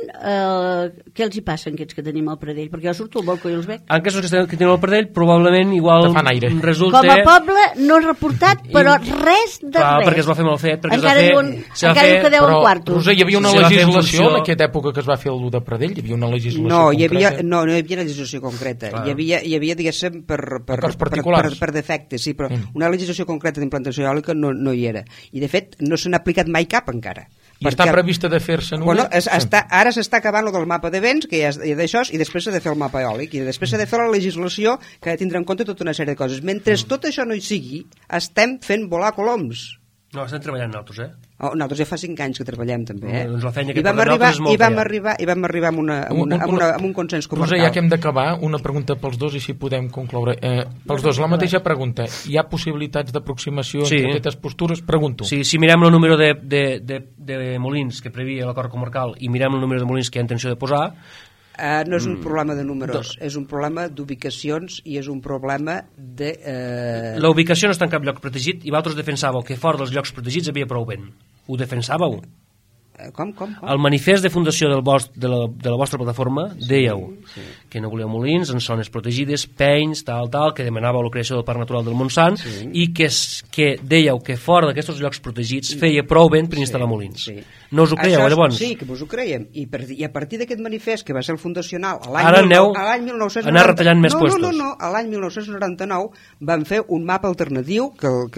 què els hi passa a aquests que tenim al Pradell? Perquè jo surto al balcó i els veig. En casos que tenen el Pradell, probablement igual resulta... Com a poble no és reportat, però res de Clar, res. perquè es va fer mal fet. Encara diuen que deuen quartos. Roser, hi havia una legislació en aquesta època que es va fer el de Pradell? Hi havia una legislació concreta? No hi havia legislació concreta. Hi havia diguéssim, per defectes, sí, però una legislació concreta d'implantació eòlica no hi era. I, de fet, no se n'ha aplicat mai cap encara. I està prevista de fer-se una? Ara s'està acabant el del mapa de vents, que ja és d'això, i després s'ha de fer el mapa eòlic, i després s'ha de fer la legislació que ha de tindre en compte tota una sèrie de coses. Mentre tot això no hi sigui, estem fent volar coloms. No, estem treballant nosaltres, Nosaltres ja fa 5 anys que treballem també, Doncs la feina que I vam arribar amb un consens comarcal. Roser, ja que hem d'acabar, una pregunta pels dos i si podem concloure. Pels dos, la mateixa pregunta. Hi ha possibilitats d'aproximació entre aquestes postures? Pregunto. Sí, si mirem el número de molins que previa l'acord comarcal i mirem el número de molins que hi ha intenció de posar, no és un problema de números, és un problema d'ubicacions i és un problema de... La ubicació no està en cap lloc protegit i vosaltres defensàveu que fora dels llocs protegits havia prou vent. Ho defensàveu? Com? El manifest de fundació de la vostra plataforma dèieu que no volíeu molins en zones protegides, penys, tal, que demanàveu la creació del Parc Natural del Montsant i que dèieu que fora d'aquests llocs protegits feia prou vent per instal·lar molins. No us ho creieu, llavors? Sí, que us ho creiem. I a partir d'aquest manifest, que va ser el fundacional ara aneu a anar retallant més puestos. No, a l'any 1999 vam fer un mapa alternatiu que el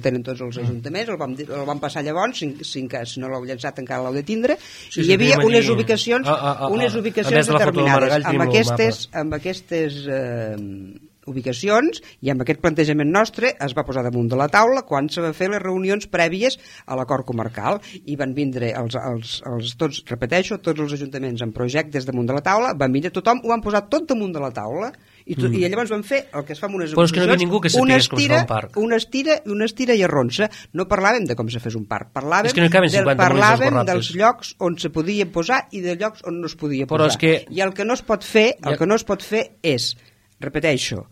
tenen tots els ajuntaments, el vam passar llavors, si no l'heu llançat encara l'heu de tindre, i hi havia unes ubicacions determinades. Amb aquestes ubicacions i amb aquest plantejament nostre es va posar damunt de la taula quan se va fer les reunions prèvies a l'acord comarcal i van vindre tots els ajuntaments amb projectes damunt de la taula, van vindre tothom, ho van posar tot damunt de la taula i llavors van fer el que es fa amb unes ubicacions, però és que no hi havia ningú que sapigués com es fa un parc. Una estira i arronsa. No parlàvem de com se fes un parc, parlàvem dels llocs on se podia posar i de llocs on no es podia posar. I el que no es pot fer és, repeteixo,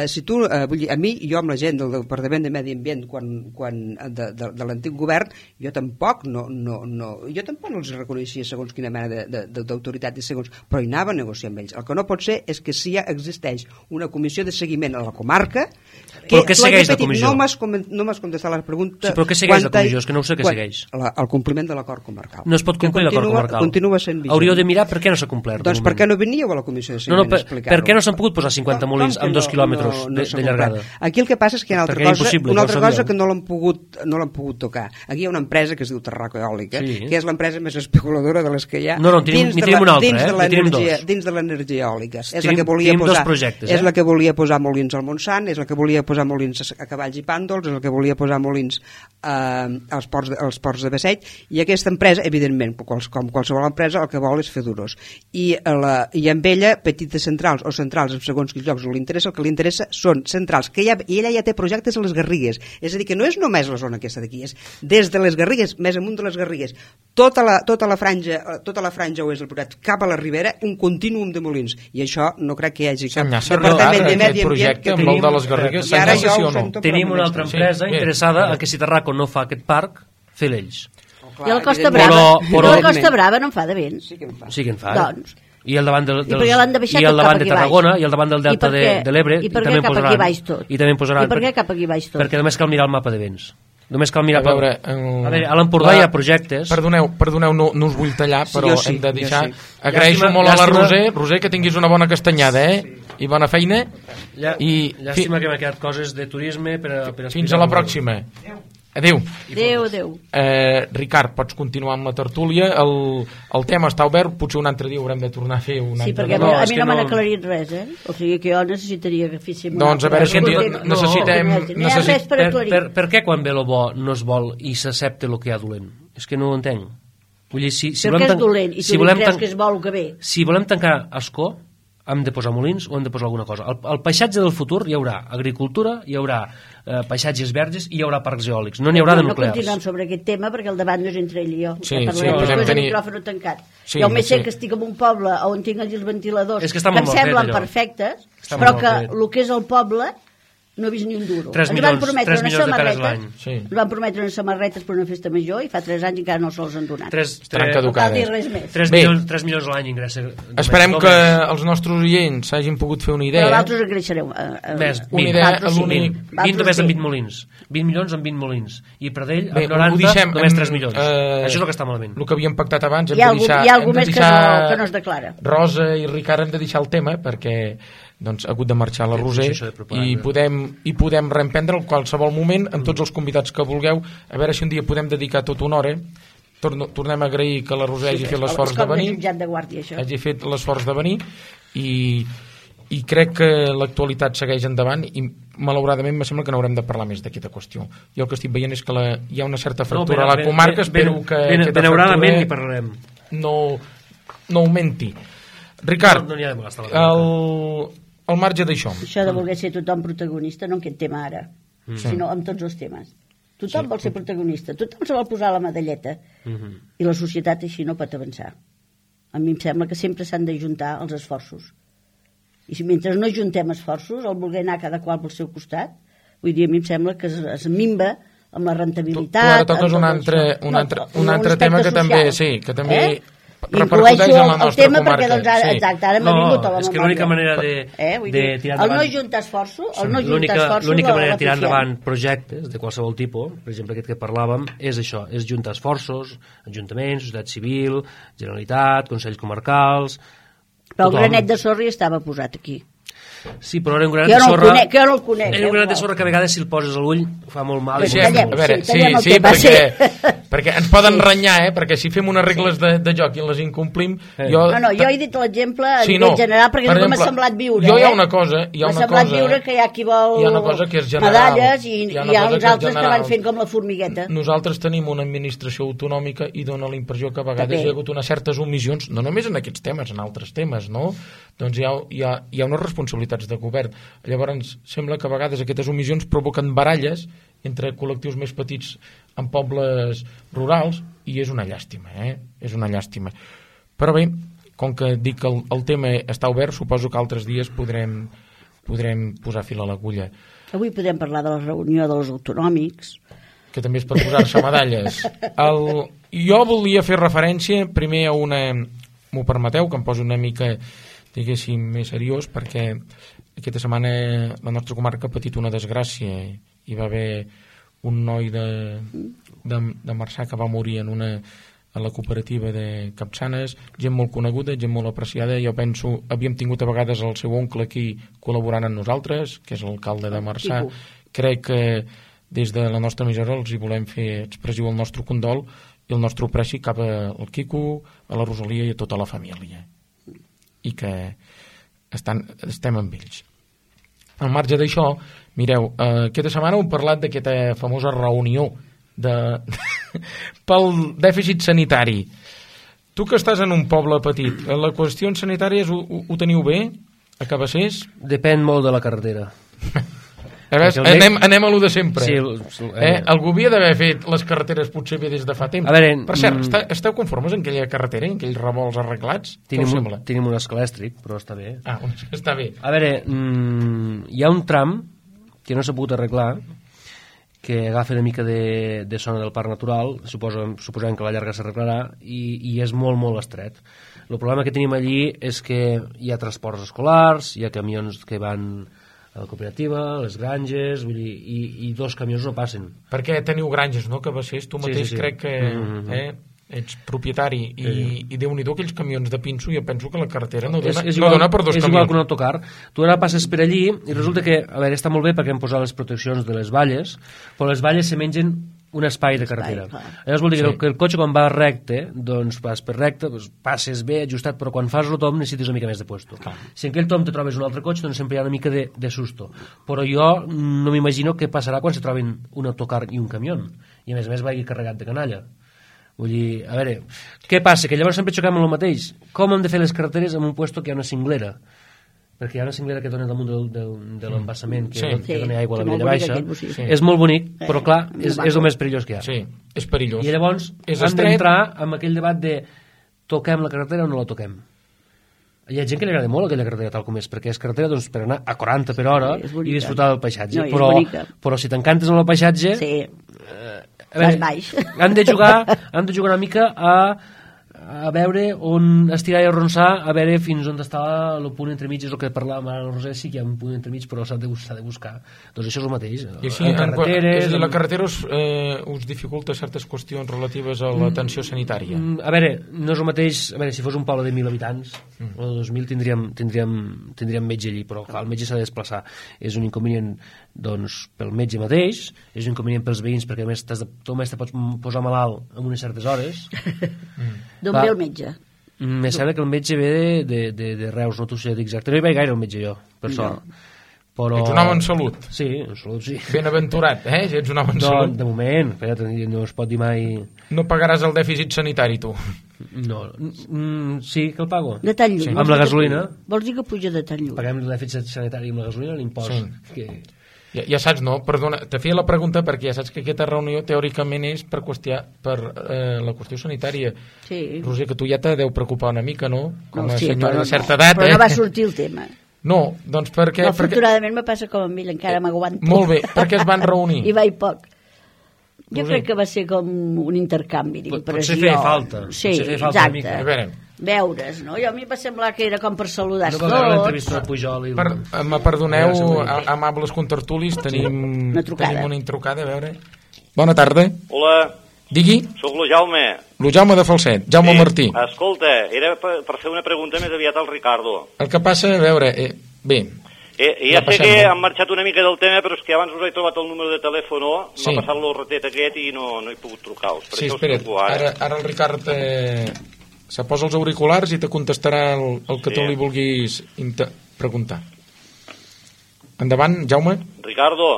si tu, a mi, jo amb la gent del Departament de Medi Ambient de l'antic govern, jo tampoc no els reconeixia segons quina mena d'autoritat i segons, però hi anava a negociar amb ells. El que no pot ser és que si ja existeix una comissió de seguiment a la comarca però què segueix la comissió? No m'has contestat la pregunta. Sí, però què segueix la comissió? És que no ho sé què segueix. El compliment de l'acord comarcal. No es pot complir l'acord comarcal. Continua sent vigent. Hauríeu de mirar per què no s'ha complert. Doncs per què no veníeu a la comissió de seguiment a explicar-ho? Per què no s'han pogut posar 50 molins amb 2 quilòmetres de llargada? Aquí el que passa és que hi ha una altra cosa que no l'han pogut tocar. Aquí hi ha una empresa que es diu Terraco Eòlica, que és l'empresa més especuladora de les que hi ha dins de l'energia eòlica. És la que volia posar molins al Montsant, és la que volia posar molins a Cavalls i Pàndols, és la que volia posar molins als ports de Beseit, i aquesta empresa, evidentment, com qualsevol empresa, el que vol és fer duros. I amb ella, petites centrals o centrals en segons quins llocs el que li interessa són centrals, i ella ja té projectes a les Garrigues, és a dir, que no és només la zona aquesta d'aquí, és des de les Garrigues, més amunt de les Garrigues, tota la franja oest del Priorat cap a la Ribera, un contínuum de molins, i això no crec que hi hagi cap departament de Medi Ambient que tenim, de les Garrigues, i ara ja ho sento. Tenim una altra empresa interessada en que si Terraco no fa aquest parc, fer-lo ells. I a la Costa Brava no en fa de vent. Sí que en fa. Sí que en fa. Doncs. I al davant, I per què l'han de baixar i al tot davant cap de aquí Tarragona baix? i al davant del delta de l'Ebre I per què cap aquí baix tot? I també posaran. I per què cap aquí baix tot? Perquè només cal mirar el mapa de vents. Només cal mirar... A veure, a l'Empordà hi ha projectes... Perdoneu, no us vull tallar, però sí, hem de deixar... sí. Agraeixo molt a la Roser, que tinguis una bona castanyada, I bona feina. Llàstima que m'ha quedat coses de turisme per fins a la pròxima. Adéu. Adéu. Ricard, pots continuar amb la tertúlia. El tema està obert, potser un altre dia haurem de tornar a fer un altre. Sí, perquè a mi no m'han aclarit res, O sigui que jo necessitaria que féssim... Doncs a veure si necessitem... Per què quan ve el bo no es vol i s'accepta el que hi ha dolent? És que no ho entenc. Vull dir, si perquè és dolent i tu creus que es vol el que ve. Si volem tancar Ascó, hem de posar molins o hem de posar alguna cosa. El paisatge del futur hi haurà agricultura, hi haurà paisatges verges i hi haurà parcs eòlics. No n'hi haurà de nuclears. No continuem sobre aquest tema perquè el debat no és entre ell i jo. Sí, podem tenir... el micròfon tancat. Jo més sé que estic en un poble on tinc els ventiladors que em semblen perfectes, però que el que és el poble no he vist ni un duro. 3 milions de peres l'any. Ens van prometre unes samarretes per una festa major i fa 3 anys encara no se'ls han donat. 3 milions a l'any ingressa. Esperem que els nostres oients s'hagin pogut fer una idea. Però vosaltres engreixareu. Una idea, 20 només amb 20 molins. 20 milions amb 20 molins. I per d'ell, amb 90, només 3 milions. Això és el que està malament. El que havíem pactat abans, hi ha algú més que no es declara. Rosa i Ricard hem de deixar el tema perquè doncs, ha hagut de marxar la Roser i podem reemprendre en qualsevol moment amb tots els convidats que vulgueu, a veure si un dia podem dedicar tota una hora. Tornem a agrair que la Roser hagi fet l'esforç de venir, hagi fet l'esforç de venir i crec que l'actualitat segueix endavant i malauradament me sembla que no haurem de parlar més d'aquesta qüestió. Jo el que estic veient és que hi ha una certa fractura a la comarca, espero que aquesta fractura no augmenti. Ricard, al marge d'això... Això de voler ser tothom protagonista, no en aquest tema ara, sinó en tots els temes. Tothom vol ser protagonista, tothom se vol posar la medalleta, i la societat així no pot avançar. A mi em sembla que sempre s'han d'ajuntar els esforços. I si mentre no ajuntem esforços, el voler anar cada qual pel seu costat, vull dir, a mi em sembla que es minva amb la rentabilitat... Tu ara toques un altre tema que també... Sí, que també... Incloeixo el tema perquè exacte, ara m'ha vingut a la memòria. És que l'única manera de tirar endavant... El no juntar esforços... L'única manera de tirar endavant projectes de qualsevol tipus, per exemple aquest que parlàvem, és això, és juntar esforços, ajuntaments, societat civil, Generalitat, Consells Comarcals... Però el granet de sorra estava posat aquí. Sí, però era un granet de sorra... Que jo no el conec. Era un granet de sorra que a vegades si el poses a l'ull fa molt mal. Perquè ens poden renyar, perquè si fem unes regles de joc i les incomplim... Jo he dit l'exemple a nivell general perquè no m'ha semblat viure. Jo hi ha una cosa... M'ha semblat viure que hi ha qui vol medalles i hi ha uns altres que van fent com la formigueta. Nosaltres tenim una administració autonòmica i dona la impressió que a vegades hi ha hagut unes certes omissions, no només en aquests temes, en altres temes, no? Doncs hi ha unes responsabilitats de govern. Llavors sembla que a vegades aquestes omissions provoquen baralles entre col·lectius més petits en pobles rurals i és una llàstima, és una llàstima. Però bé, com que dic que el tema està obert, suposo que altres dies podrem posar fil a l'agulla. Avui podem parlar de la reunió dels autonòmics, que també és per posar-se medalles. Jo volia fer referència primer a una, m'ho permeteu, que em poso una mica, diguéssim, més seriós, perquè aquesta setmana la nostra comarca ha patit una desgràcia. Hi va haver un noi de Marçà que va morir a la cooperativa de Capçanes, gent molt coneguda, gent molt apreciada. Jo penso, havíem tingut a vegades el seu oncle aquí col·laborant amb nosaltres, que és l'alcalde de Marçà. Crec que des de la nostra emissora els hi volem fer expressiu el nostre condol i el nostre apreci cap al Quico, a la Rosalia i a tota la família. I que estem amb ells. Al marge d'això, mireu, aquesta setmana hem parlat d'aquesta famosa reunió pel dèficit sanitari. Tu que estàs en un poble petit, la qüestió sanitària ho teniu bé a Cabassers? Depèn molt de la carretera. Anem a lo de sempre. Sí, algú havia d'haver fet les carreteres potser bé des de fa temps. Per cert, esteu conformes en aquella carretera, en aquells revolts arreglats? Tenim un escalèstric, però està bé. Està bé. A veure, hi ha un tram que no s'ha pogut arreglar, que agafa una mica de zona del parc natural, suposem que a la llarga s'arreglarà, i és molt, molt estret. El problema que tenim allí és que hi ha transports escolars, hi ha camions que van a la cooperativa, a les granges, vull dir, i 2 camions no passen. Perquè teniu granges, no?, que Bassés, tu mateix crec que ets propietari i Déu-n'hi-do aquells camions de pinso, jo penso que la carretera no dona per 2 camions. És igual que un autocar. Tu ara passes per allí i resulta que, a veure, està molt bé perquè hem posat les proteccions de les valles, però les valles se mengen un espai de carretera. Llavors vol dir que el cotxe quan va recte, doncs vas per recte, passes bé, ajustat, però quan fas el tom necessites una mica més de puesto. Si en aquell tom te trobes un altre cotxe, doncs sempre hi ha una mica de susto. Però jo no m'imagino què passarà quan se troben un autocar i un camió. I a més vagi carregat de canalla. Vull dir, a veure, què passa? Que llavors sempre xoquem amb el mateix. Com hem de fer les carreteres en un puesto que hi ha una cinglera? Perquè hi ha una cinglera que dona damunt de l'embassament, que dona aigua a la Vella Baixa. És molt bonic, però clar, és el més perillós que hi ha. Sí, és perillós. I llavors hem d'entrar en aquell debat de toquem la carretera o no la toquem. Hi ha gent que li agrada molt aquella carretera tal com és, perquè és carretera doncs, per anar a 40 per hora i disfrutar del paisatge. Però si t'encantes en el paisatge... Vas baix. Han de jugar una mica a veure on estirar i arronsar, a veure fins on està el punt entremig. És el que parlàvem ara al Roser, sí que hi ha un punt entremig, però s'ha de buscar. Doncs això és el mateix. I així, la carretera us dificulta certes qüestions relatives a l'atenció sanitària? A veure, no és el mateix. A veure, si fos un poble de 1.000 habitants o de 2.000 tindríem metge allí, però clar, el metge s'ha de desplaçar. És un inconvenient doncs pel metge mateix, és un inconvenient pels veïns, perquè a més tu més te pots posar malalt en unes certes hores. D'on ve el metge? Me sembla que el metge ve de Reus, no t'ho sé exacte. No hi vaig gaire el metge jo, per sort. Però... Ets un home en salut. Sí, en salut sí. Ben aventurat, si ets un home en salut. De moment, no es pot dir mai... No pagaràs el dèficit sanitari, tu? No, sí que el pago. De tan lluny. Amb la gasolina. Vols dir que puja de tan lluny? Paguem el dèficit sanitari amb la gasolina, l'impost. Sí. Que... Ja saps, no? Perdona, te feia la pregunta perquè ja saps que aquesta reunió teòricament és per la qüestió sanitària. Sí. Roser, que tu ja te deu preocupar una mica, no? Com a senyora de certa edat. Però no va sortir el tema. No, doncs perquè... No, afortunadament me passa com amb ell, encara m'aguanto. Molt bé, perquè es van reunir. I vaig poc. Jo crec que va ser com un intercanvi d'impressió. Potser feia falta. Sí, exacte. A veure... Veure's, no? Jo a mi va semblar que era com per saludar tots. No va veure l'entrevista de Pujol i... Me perdoneu, amables contertulis, tenim una intrucada, a veure... Bona tarda. Hola. Digui. Soc lo Jaume. Lo Jaume de Falset, Jaume Martí. Escolta, era per fer una pregunta més aviat al Ricardo. El que passa, a veure, bé... Ja sé que han marxat una mica del tema, però és que abans us he trobat el número de telèfon, m'ha passat l'horretet aquest i no he pogut trucar-vos. Sí, espera't, ara el Ricard se posa els auriculars i te contestarà el que tu li vulguis preguntar. Endavant, Jaume. Ricardo.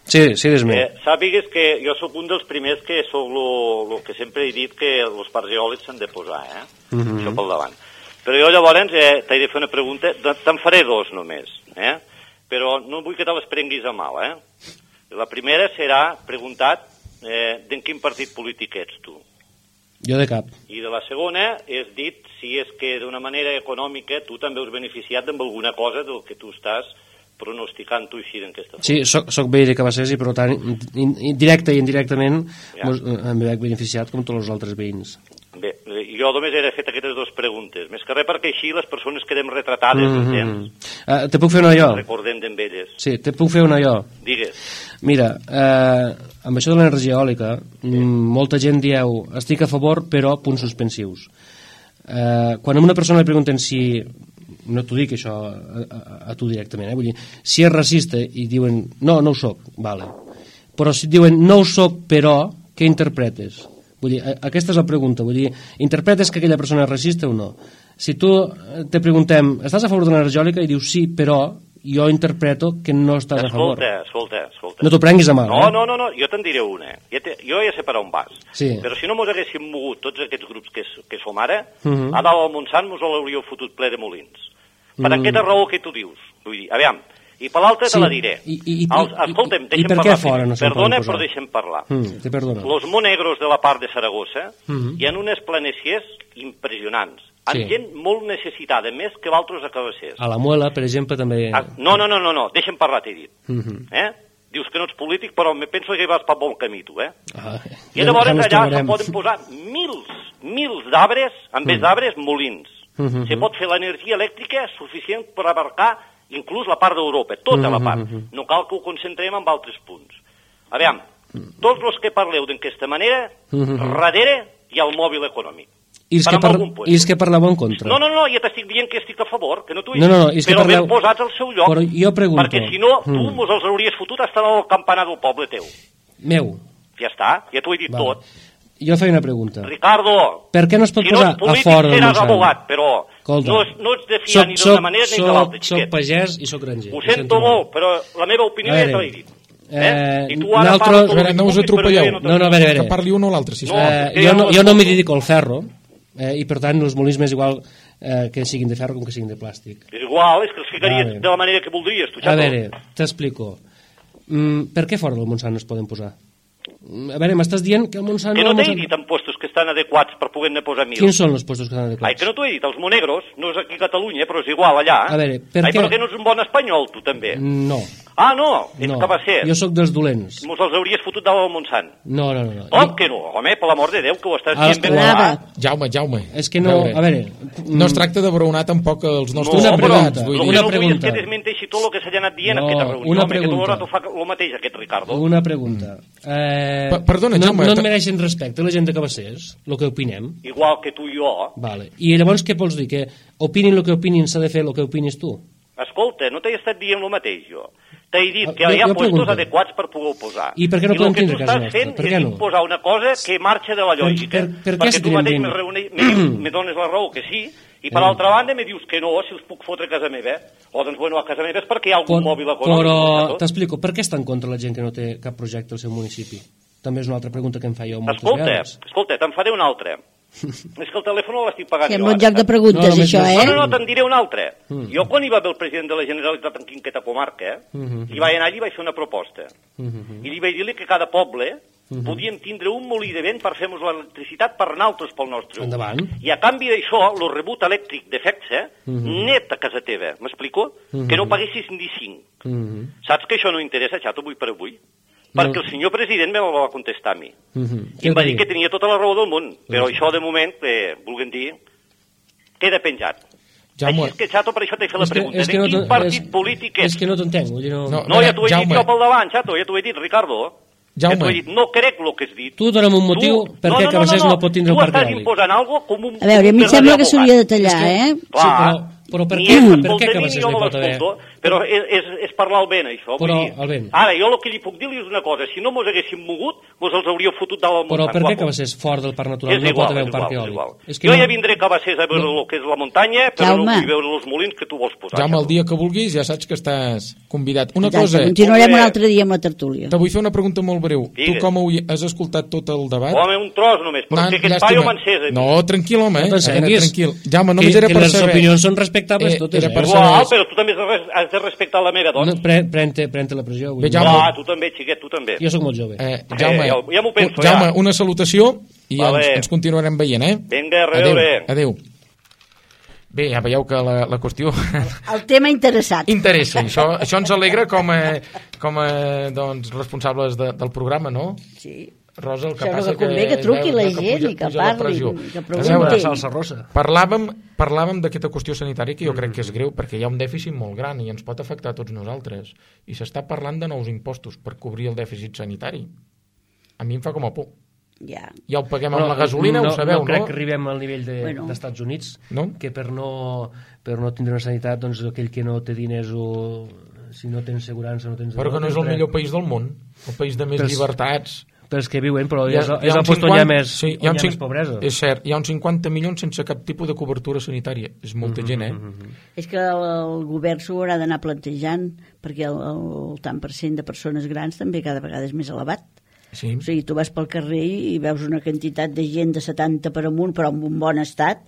Sí, dis-me. Sàpigues que jo sóc un dels primers que sóc el que sempre he dit que els parcs eòlics s'han de posar, això pel davant. Però jo llavors t'he de fer una pregunta, te'n faré 2 només, però no vull que te les prenguis a mal, La primera serà preguntat d'en quin partit polític ets tu. Jo de cap. I de la segona és dit si és que d'una manera econòmica tu també us beneficiat amb alguna cosa del que tu estàs pronosticant tu així d'aquesta forma. Sí, soc veí de Cabassers i per tant directe i indirectament em veig beneficiat com tots els altres veïns. Bé, jo només he fet aquestes 2 preguntes, més que res perquè així les persones quedem retratades, entens? Te puc fer una jo? Recordem d'elles. Sí, te puc fer una jo? Digues. Mira, amb això de l'energia eòlica, molta gent dieu, estic a favor, però punts suspensius. Quan a una persona li pregunten si, no t'ho dic això a tu directament, vull dir, si és racista i diuen, no ho soc, vale. Però si diuen, no ho soc, però, què interpretes? Vull dir, aquesta és la pregunta, vull dir, interpretes que aquella persona és racista o no? Si tu te preguntem, estàs a favor de l'energia eòlica? I dius sí, però jo interpreto que no estàs a favor. Escolta. No t'ho prenguis a mal, No, jo te'n diré una. Jo ja sé per on vas. Sí. Però si no mos haguéssim mogut tots aquests grups que som ara, a dalt al Montsant mos l'hauríeu fotut ple de molins. Per aquesta raó que tu dius. Vull dir, aviam, i per l'altra te la diré. Escolta'm, deixa'm parlar. Perdona, però deixa'm parlar. Te perdono. Los monegros de la part de Saragossa hi ha unes planeciers impressionants, amb gent molt necessitada, més que d'altres a Cabassers. A la Muela, per exemple, també... No, deixa'm parlar, t'he dit. Dius que no ets polític, però me penso que vas per bon camí, tu, I ja llavors ens allà trobarem. se poden posar mils d'arbres, en vez d'arbres, molins. Se pot fer l'energia elèctrica suficient per abarcar inclús la part d'Europa, tota la part. No cal que ho concentrem en altres punts. Aviam, tots els que parleu d'aquesta manera, darrere hi ha el mòbil econòmic. I els que parleu en contra? No, ja t'estic dient que estic a favor, que no t'ho he dit, però ben posats al seu lloc, però jo pregunto, perquè si no, tu mos els hauries fotut a estar al campanar del poble teu. Meu. Ja està, ja t'ho he dit tot. Jo feia una pregunta. Ricardo, per què no es pot posar a fora del Montsant? Si no ets polític seràs abogat, però no ets de fiar ni d'una manera ni de l'altra, xiquet. Soc pagès i soc granger. Ho sento molt, però la meva opinió ja te l'he dit. I tu ara no us atropelleu. No, a veure. Que parli un o l'altre, sisplau. Jo no m'hi dedico al ferro, i per tant els molins m'és igual que siguin de ferro com que siguin de plàstic. És igual, és que els ficaries de la manera que voldries, tu, xato. A veure, t'explico. Per què fora del Montsant no es poden posar? A veure, m'estàs dient que el Montsant... Que no t'he dit en postos que estan adequats per poder-ne posar 1.000. Quins són els postos que estan adequats? Ai, que no t'ho he dit, els monegros, no és aquí a Catalunya, però és igual allà. A veure, per què... Ai, però que no ets un bon espanyol, tu també. No. Ah, no, ets cabasser. Jo sóc dels dolents. Mos els hauries fotut dalt al Montsant. No. Com que no? Home, per l'amor de Déu, que ho estàs dient ben clar. Jaume. És que no, a veure... No es tracta de braonar tampoc els nostres empleats. Una pregunta. És que desmenteixi tot el que s'ha anat dient en aquesta reunió. Una pregunta. Que tu fa el mateix, aquest Ricardo. Una pregunta. Perdona, Jaume. No et mereixen respecte la gent de Cabassers, el que opinem? Igual que tu i jo. Vale. I llavors què vols dir? Que opinin el que opinin, s'ha de fer el que opinis tu? Escolta, no t'he estat dient el mateix, jo. T'he dit que hi ha postos adequats per poder posar. I per què no podem tindre casa nostra? I el que tu estàs fent és imposar una cosa que marxa de la lògica. Perquè tu mateix me dones la raó que sí, i per altra banda me dius que no, si els puc fotre a casa meva. O doncs, bueno, a casa meva és perquè hi ha algun mòbil econòmic. Però t'explico, per què està en contra la gent que no té cap projecte al seu municipi? També és una altra pregunta que em fa jo moltes vegades. Escolta, te'n faré una altra. És que el telèfon l'estic pagant jo. Sembla un joc de preguntes, això, No, te'n diré una altra. Jo, quan hi va haver el president de la Generalitat en aquesta comarca, i vaig anar allí i vaig fer una proposta. I li vaig dir que cada poble podíem tindre un molí de vent per fer-nos l'electricitat per nosaltres pel nostre ús. Endavant. I a canvi d'això, el rebut elèctric de FECSA, net a casa teva, m'explico? Que no paguessis ni 5. Saps que això no interessa, xato, avui per avui? Perquè el senyor president me va contestar a mi. I em va dir que tenia tota la raó del món, però això de moment, volguem dir, queda penjat. Així és que, xato, per això t'he fet la pregunta. De quin partit polític és? És que no t'entenc. No, ja t'ho he dit jo pel davant, xato, ja t'ho he dit, Ricardo. Ja t'ho he dit, no crec el que has dit. Tu dona'm un motiu perquè Cabassers no pot tindre un parc eòlic. Tu estàs imposant alguna cosa com un... A veure, a mi em sembla que s'hauria de tallar, Clar. Però per què Cabassers no pot haver? Però és parlar el vent, això. Però el vent. Ara, jo el que li puc dir és una cosa. Si no mos haguéssim mogut, mos els hauríeu fotut dalt al Montsant. Però per què Cabassers fora del parc natural no pot haver un parc eòlic? Jo ja vindré a Cabassers a veure el que és la muntanya, però no vull veure els molins que tu vols posar. Jaume, el dia que vulguis ja saps que estàs convidat. Una cosa... Continuarem un altre dia amb la tertúlia. Te vull fer una pregunta molt breu. Tu com has escoltat tot el debat? Home, un tros només, perquè aquest paio m'encés. No, tranquil, home. No t'encenguis. Jaume, només era per saber... Que les opinions són respectables totes. Igual, però tu també has de respectar la meva dona. Pren-te la pressió. Clar, tu també, xiquet, tu també. Jo sóc molt jove. Jaume, ja m'ho penso, Jaume, una salutació i ens continuarem veient, Vinga, a reveure. Adéu. Bé, ja veieu que la qüestió... El tema interessat. Interessa, això ens alegra com a doncs, responsables del programa, no? Sí. Rosa, el que passa que convé que truqui la gent i que parli, que pregunti. Parlàvem d'aquesta qüestió sanitària que jo crec que és greu perquè hi ha un dèficit molt gran i ens pot afectar a tots nosaltres. I s'està parlant de nous impostos per cobrir el dèficit sanitari. A mi em fa com a por. Ja ho paguem amb la gasolina, ho sabeu, no? No crec que arribem al nivell dels Estats Units, que per no tindre una sanitat, doncs aquell que no té diners o si no tens assegurança no tens... Però que no és el millor país del món, el país de més llibertats... Per els que viuen, però és el post on hi ha més pobresa. És cert, hi ha uns 50 milions sense cap tipus de cobertura sanitària. És molta gent, És que el govern s'ho haurà d'anar plantejant, perquè el tant per cent de persones grans també cada vegada és més elevat. Sí. O sigui, tu vas pel carrer i veus una quantitat de gent de 70 per amunt, però en un bon estat,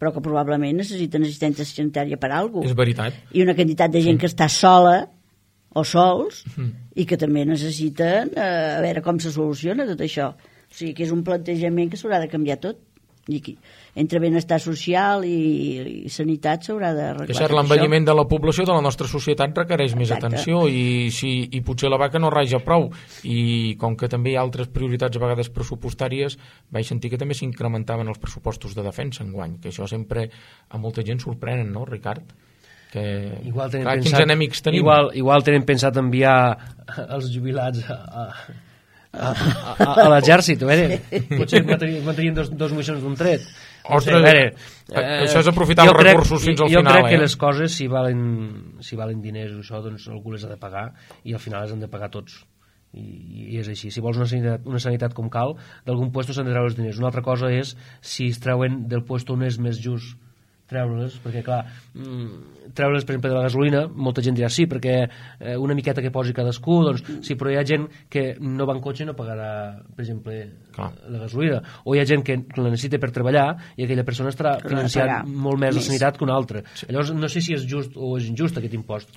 però que probablement necessiten assistència sanitària per alguna cosa. És veritat. I una quantitat de gent que està sola o sols i que també necessiten a veure com se soluciona tot això. O sigui que és un plantejament que s'haurà de canviar tot. I aquí, entre benestar social i sanitat s'haurà d'arreglar. És cert, l'envelliment de la població de la nostra societat requereix més atenció i potser la vaca no raja prou, i com que també hi ha altres prioritats a vegades pressupostàries, vaig sentir que també s'incrementaven els pressupostos de defensa enguany, que això sempre a molta gent sorprenen, no, Ricard? Que, igual tenen quins enemics tenim. Igual tenen pensat enviar els jubilats a l'exèrcit, potser mantenien dos missions d'un tret. Ostres, això és aprofitar els recursos fins al final. Jo crec que les coses, si valen diners o això, doncs algú les ha de pagar, i al final les han de pagar tots, i és així. Si vols una sanitat com cal, d'algun lloc s'han de treure els diners. Una altra cosa és si es treuen del lloc on és més just treure-les, perquè clar, treure-les per exemple de la gasolina, molta gent dirà sí, perquè una miqueta que posi cadascú, doncs sí, però hi ha gent que no va en cotxe i no pagarà, per exemple, la gasolina, o hi ha gent que la necessita per treballar i aquella persona estarà financiant molt més la sanitat que una altra. Llavors no sé si és just o és injust aquest impost.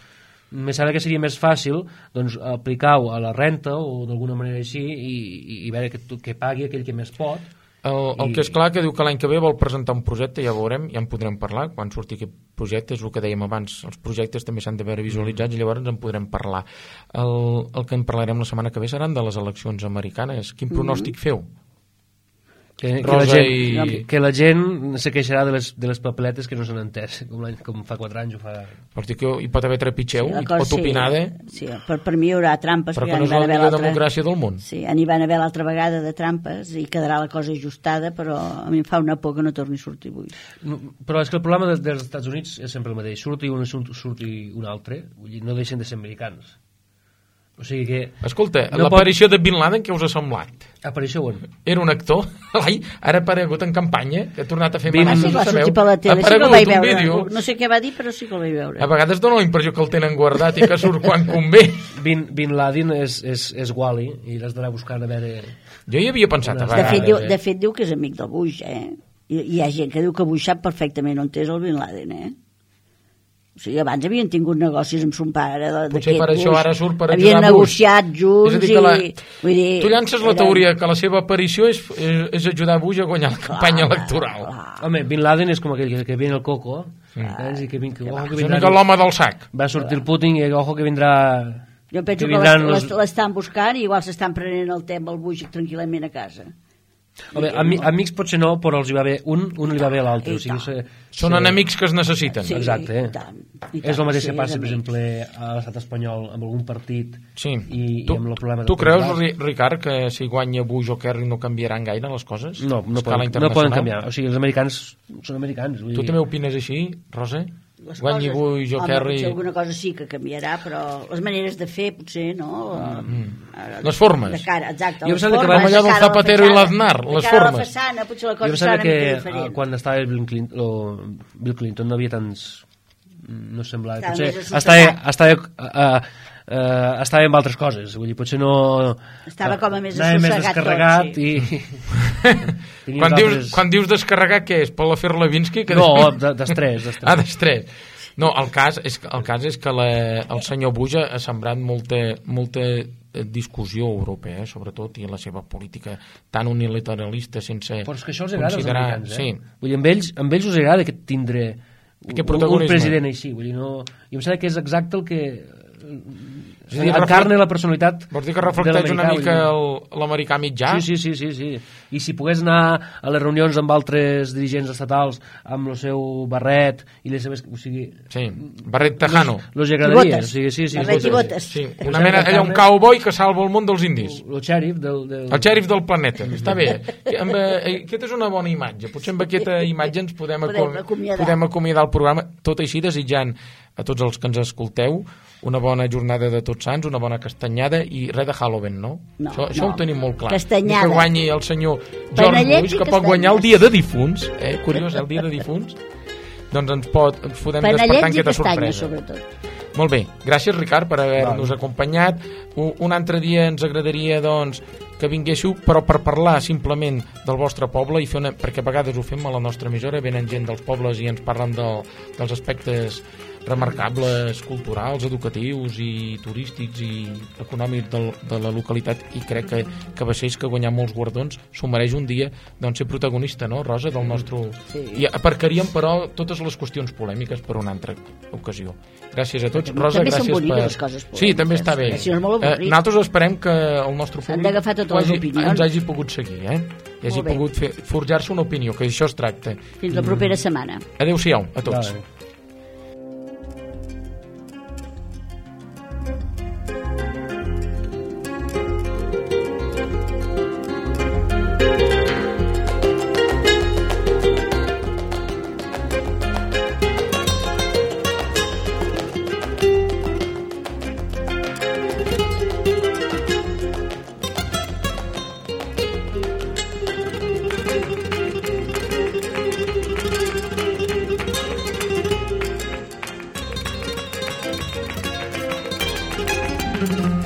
Me sembla que seria més fàcil doncs, aplicar-ho a la renta o d'alguna manera així i veure que pagui aquell que més pot. El que és clar que diu que l'any que ve vol presentar un projecte, ja veurem, ja en podrem parlar quan surti aquest projecte, és el que dèiem abans, els projectes també s'han de veure visualitzats i llavors en podrem parlar. El que en parlarem la setmana que ve seran de les eleccions americanes. Quin pronòstic feu? Que la gent se queixarà de les papeletes que no s'han entès, com fa 4 anys ho fa. Vols dir que hi pot haver trepitxeu, hi pot opinar de... Sí, per mi hi haurà trampes. Però que no és la millor democràcia del món. Sí, n'hi van haver l'altra vegada de trampes i quedarà la cosa ajustada, però a mi em fa una por que no torni a sortir avui. Però és que el problema dels Estats Units és sempre el mateix, surti un altre, no deixen de ser americans. O sigui que... Escolta, l'aparició de Bin Laden, què us ha semblat? Aparició on? Era un actor, ara ha aparegut en campanya, que ha tornat a fer manes, sí, va sortir per la tele, sí que el vaig veure. No sé què va dir, però sí que el vaig veure. A vegades dona la impressió que el tenen guardat i que surt quan convé. Bin Laden és Wally, i l'has d'anar buscant a veure... Jo hi havia pensat a vegades. De fet, diu que és amic del Bush, Hi ha gent que diu que Bush sap perfectament on és el Bin Laden, O sigui, abans havien tingut negocis amb son pare. Potser per això ara surt per havien negociat junts. És a dir, tu llances la teoria que la seva aparició és ajudar Bush a guanyar la campanya electoral. Home, Bin Laden és com aquell que viene el coco, i que vindrà l'home del sac. Va sortir el Putin i ojo que vindrà... Jo penso que l'estan buscant i igual s'estan prenent el té amb el Bush tranquil·lament a casa. Home, amics potser no, però els hi va bé un li va bé a l'altre. Són enemics que es necessiten. Sí, exacte. És el mateix que passa, per exemple, a l'estat espanyol amb algun partit i amb el problema... Tu creus, Ricard, que si guanya Bush o Kerry no canviaran gaire les coses? No poden canviar. O sigui, els americans són americans. Tu també opines així, Rosa? Guanyi Bush o Kerry... Potser alguna cosa sí que canviarà, però les maneres de fer potser no. Les formes. De cara, exacte. Jo em sembla que vam allà del Zapatero i l'Aznar, les formes. De cara a la façana, potser la cosa serà una mica diferent. Quan estava Bill Clinton no havia tants... No semblava... Potser estava amb altres coses, vull dir, potser no... Estava com a més descarregat tot, sí. Quan dius descarregar, què és? Per l'afer Levinsky? No, d'estrès. D'estrès. No, el cas és que el senyor Bush ha sembrat molta discussió europea, sobretot, i la seva política tan unilateralista sense però és que això els agrada considerar... als americans, Vull dir, amb ells us agrada que tindré un president així, vull dir, no... Jo em sembla que és exacte el que... encarna la personalitat. Vols dir que reflecteix una mica l'americà mitjà? Sí. I si pogués anar a les reunions amb altres dirigents estatals amb el seu barret i les seves... O sigui, sí, barret tejano. Els agradaria. Barret i botes. Sí, una mena, allà un cowboy que salva el món dels indis. El xèrif el xèrif del planeta. Està bé. Aquesta és una bona imatge. Potser amb aquesta imatge ens podem acomiadar el programa, tot així desitjant a tots els que ens escolteu una bona jornada de Tots Sants, una bona castanyada i res de Halloween, no? Això ho tenim molt clar. Castanyada. Que guanyi el senyor George Bush, que pot guanyar el dia de difunts, curiós, el dia de difunts, doncs ens podem despertar en aquesta sorpresa. Sobretot. Molt bé, gràcies Ricard per haver-nos acompanyat. Un altre dia ens agradaria doncs que vinguéssiu, però per parlar simplement del vostre poble i fer perquè a vegades ho fem a la nostra emissora, venen gent dels pobles i ens parlen dels aspectes remarcables, culturals, educatius i turístics i econòmics de la localitat, i crec que Baixells, que ha guanyat molts guardons, s'ho mereix un dia doncs, ser protagonista, no, Rosa, del nostre... Sí. I aparcaríem, però, totes les qüestions polèmiques per una altra ocasió. Gràcies a tots. Rosa, també gràcies són boniques les coses polèmiques. Sí, també està bé. Si no és molt avorrit. Nosaltres esperem que el nostre S'han d'agafar públic totes les opinions. ens hagi pogut seguir, i hagi pogut forjar-se una opinió, que això es tracta. Fins la propera setmana. Adéu-siau a tots. Vale. Mm-hmm.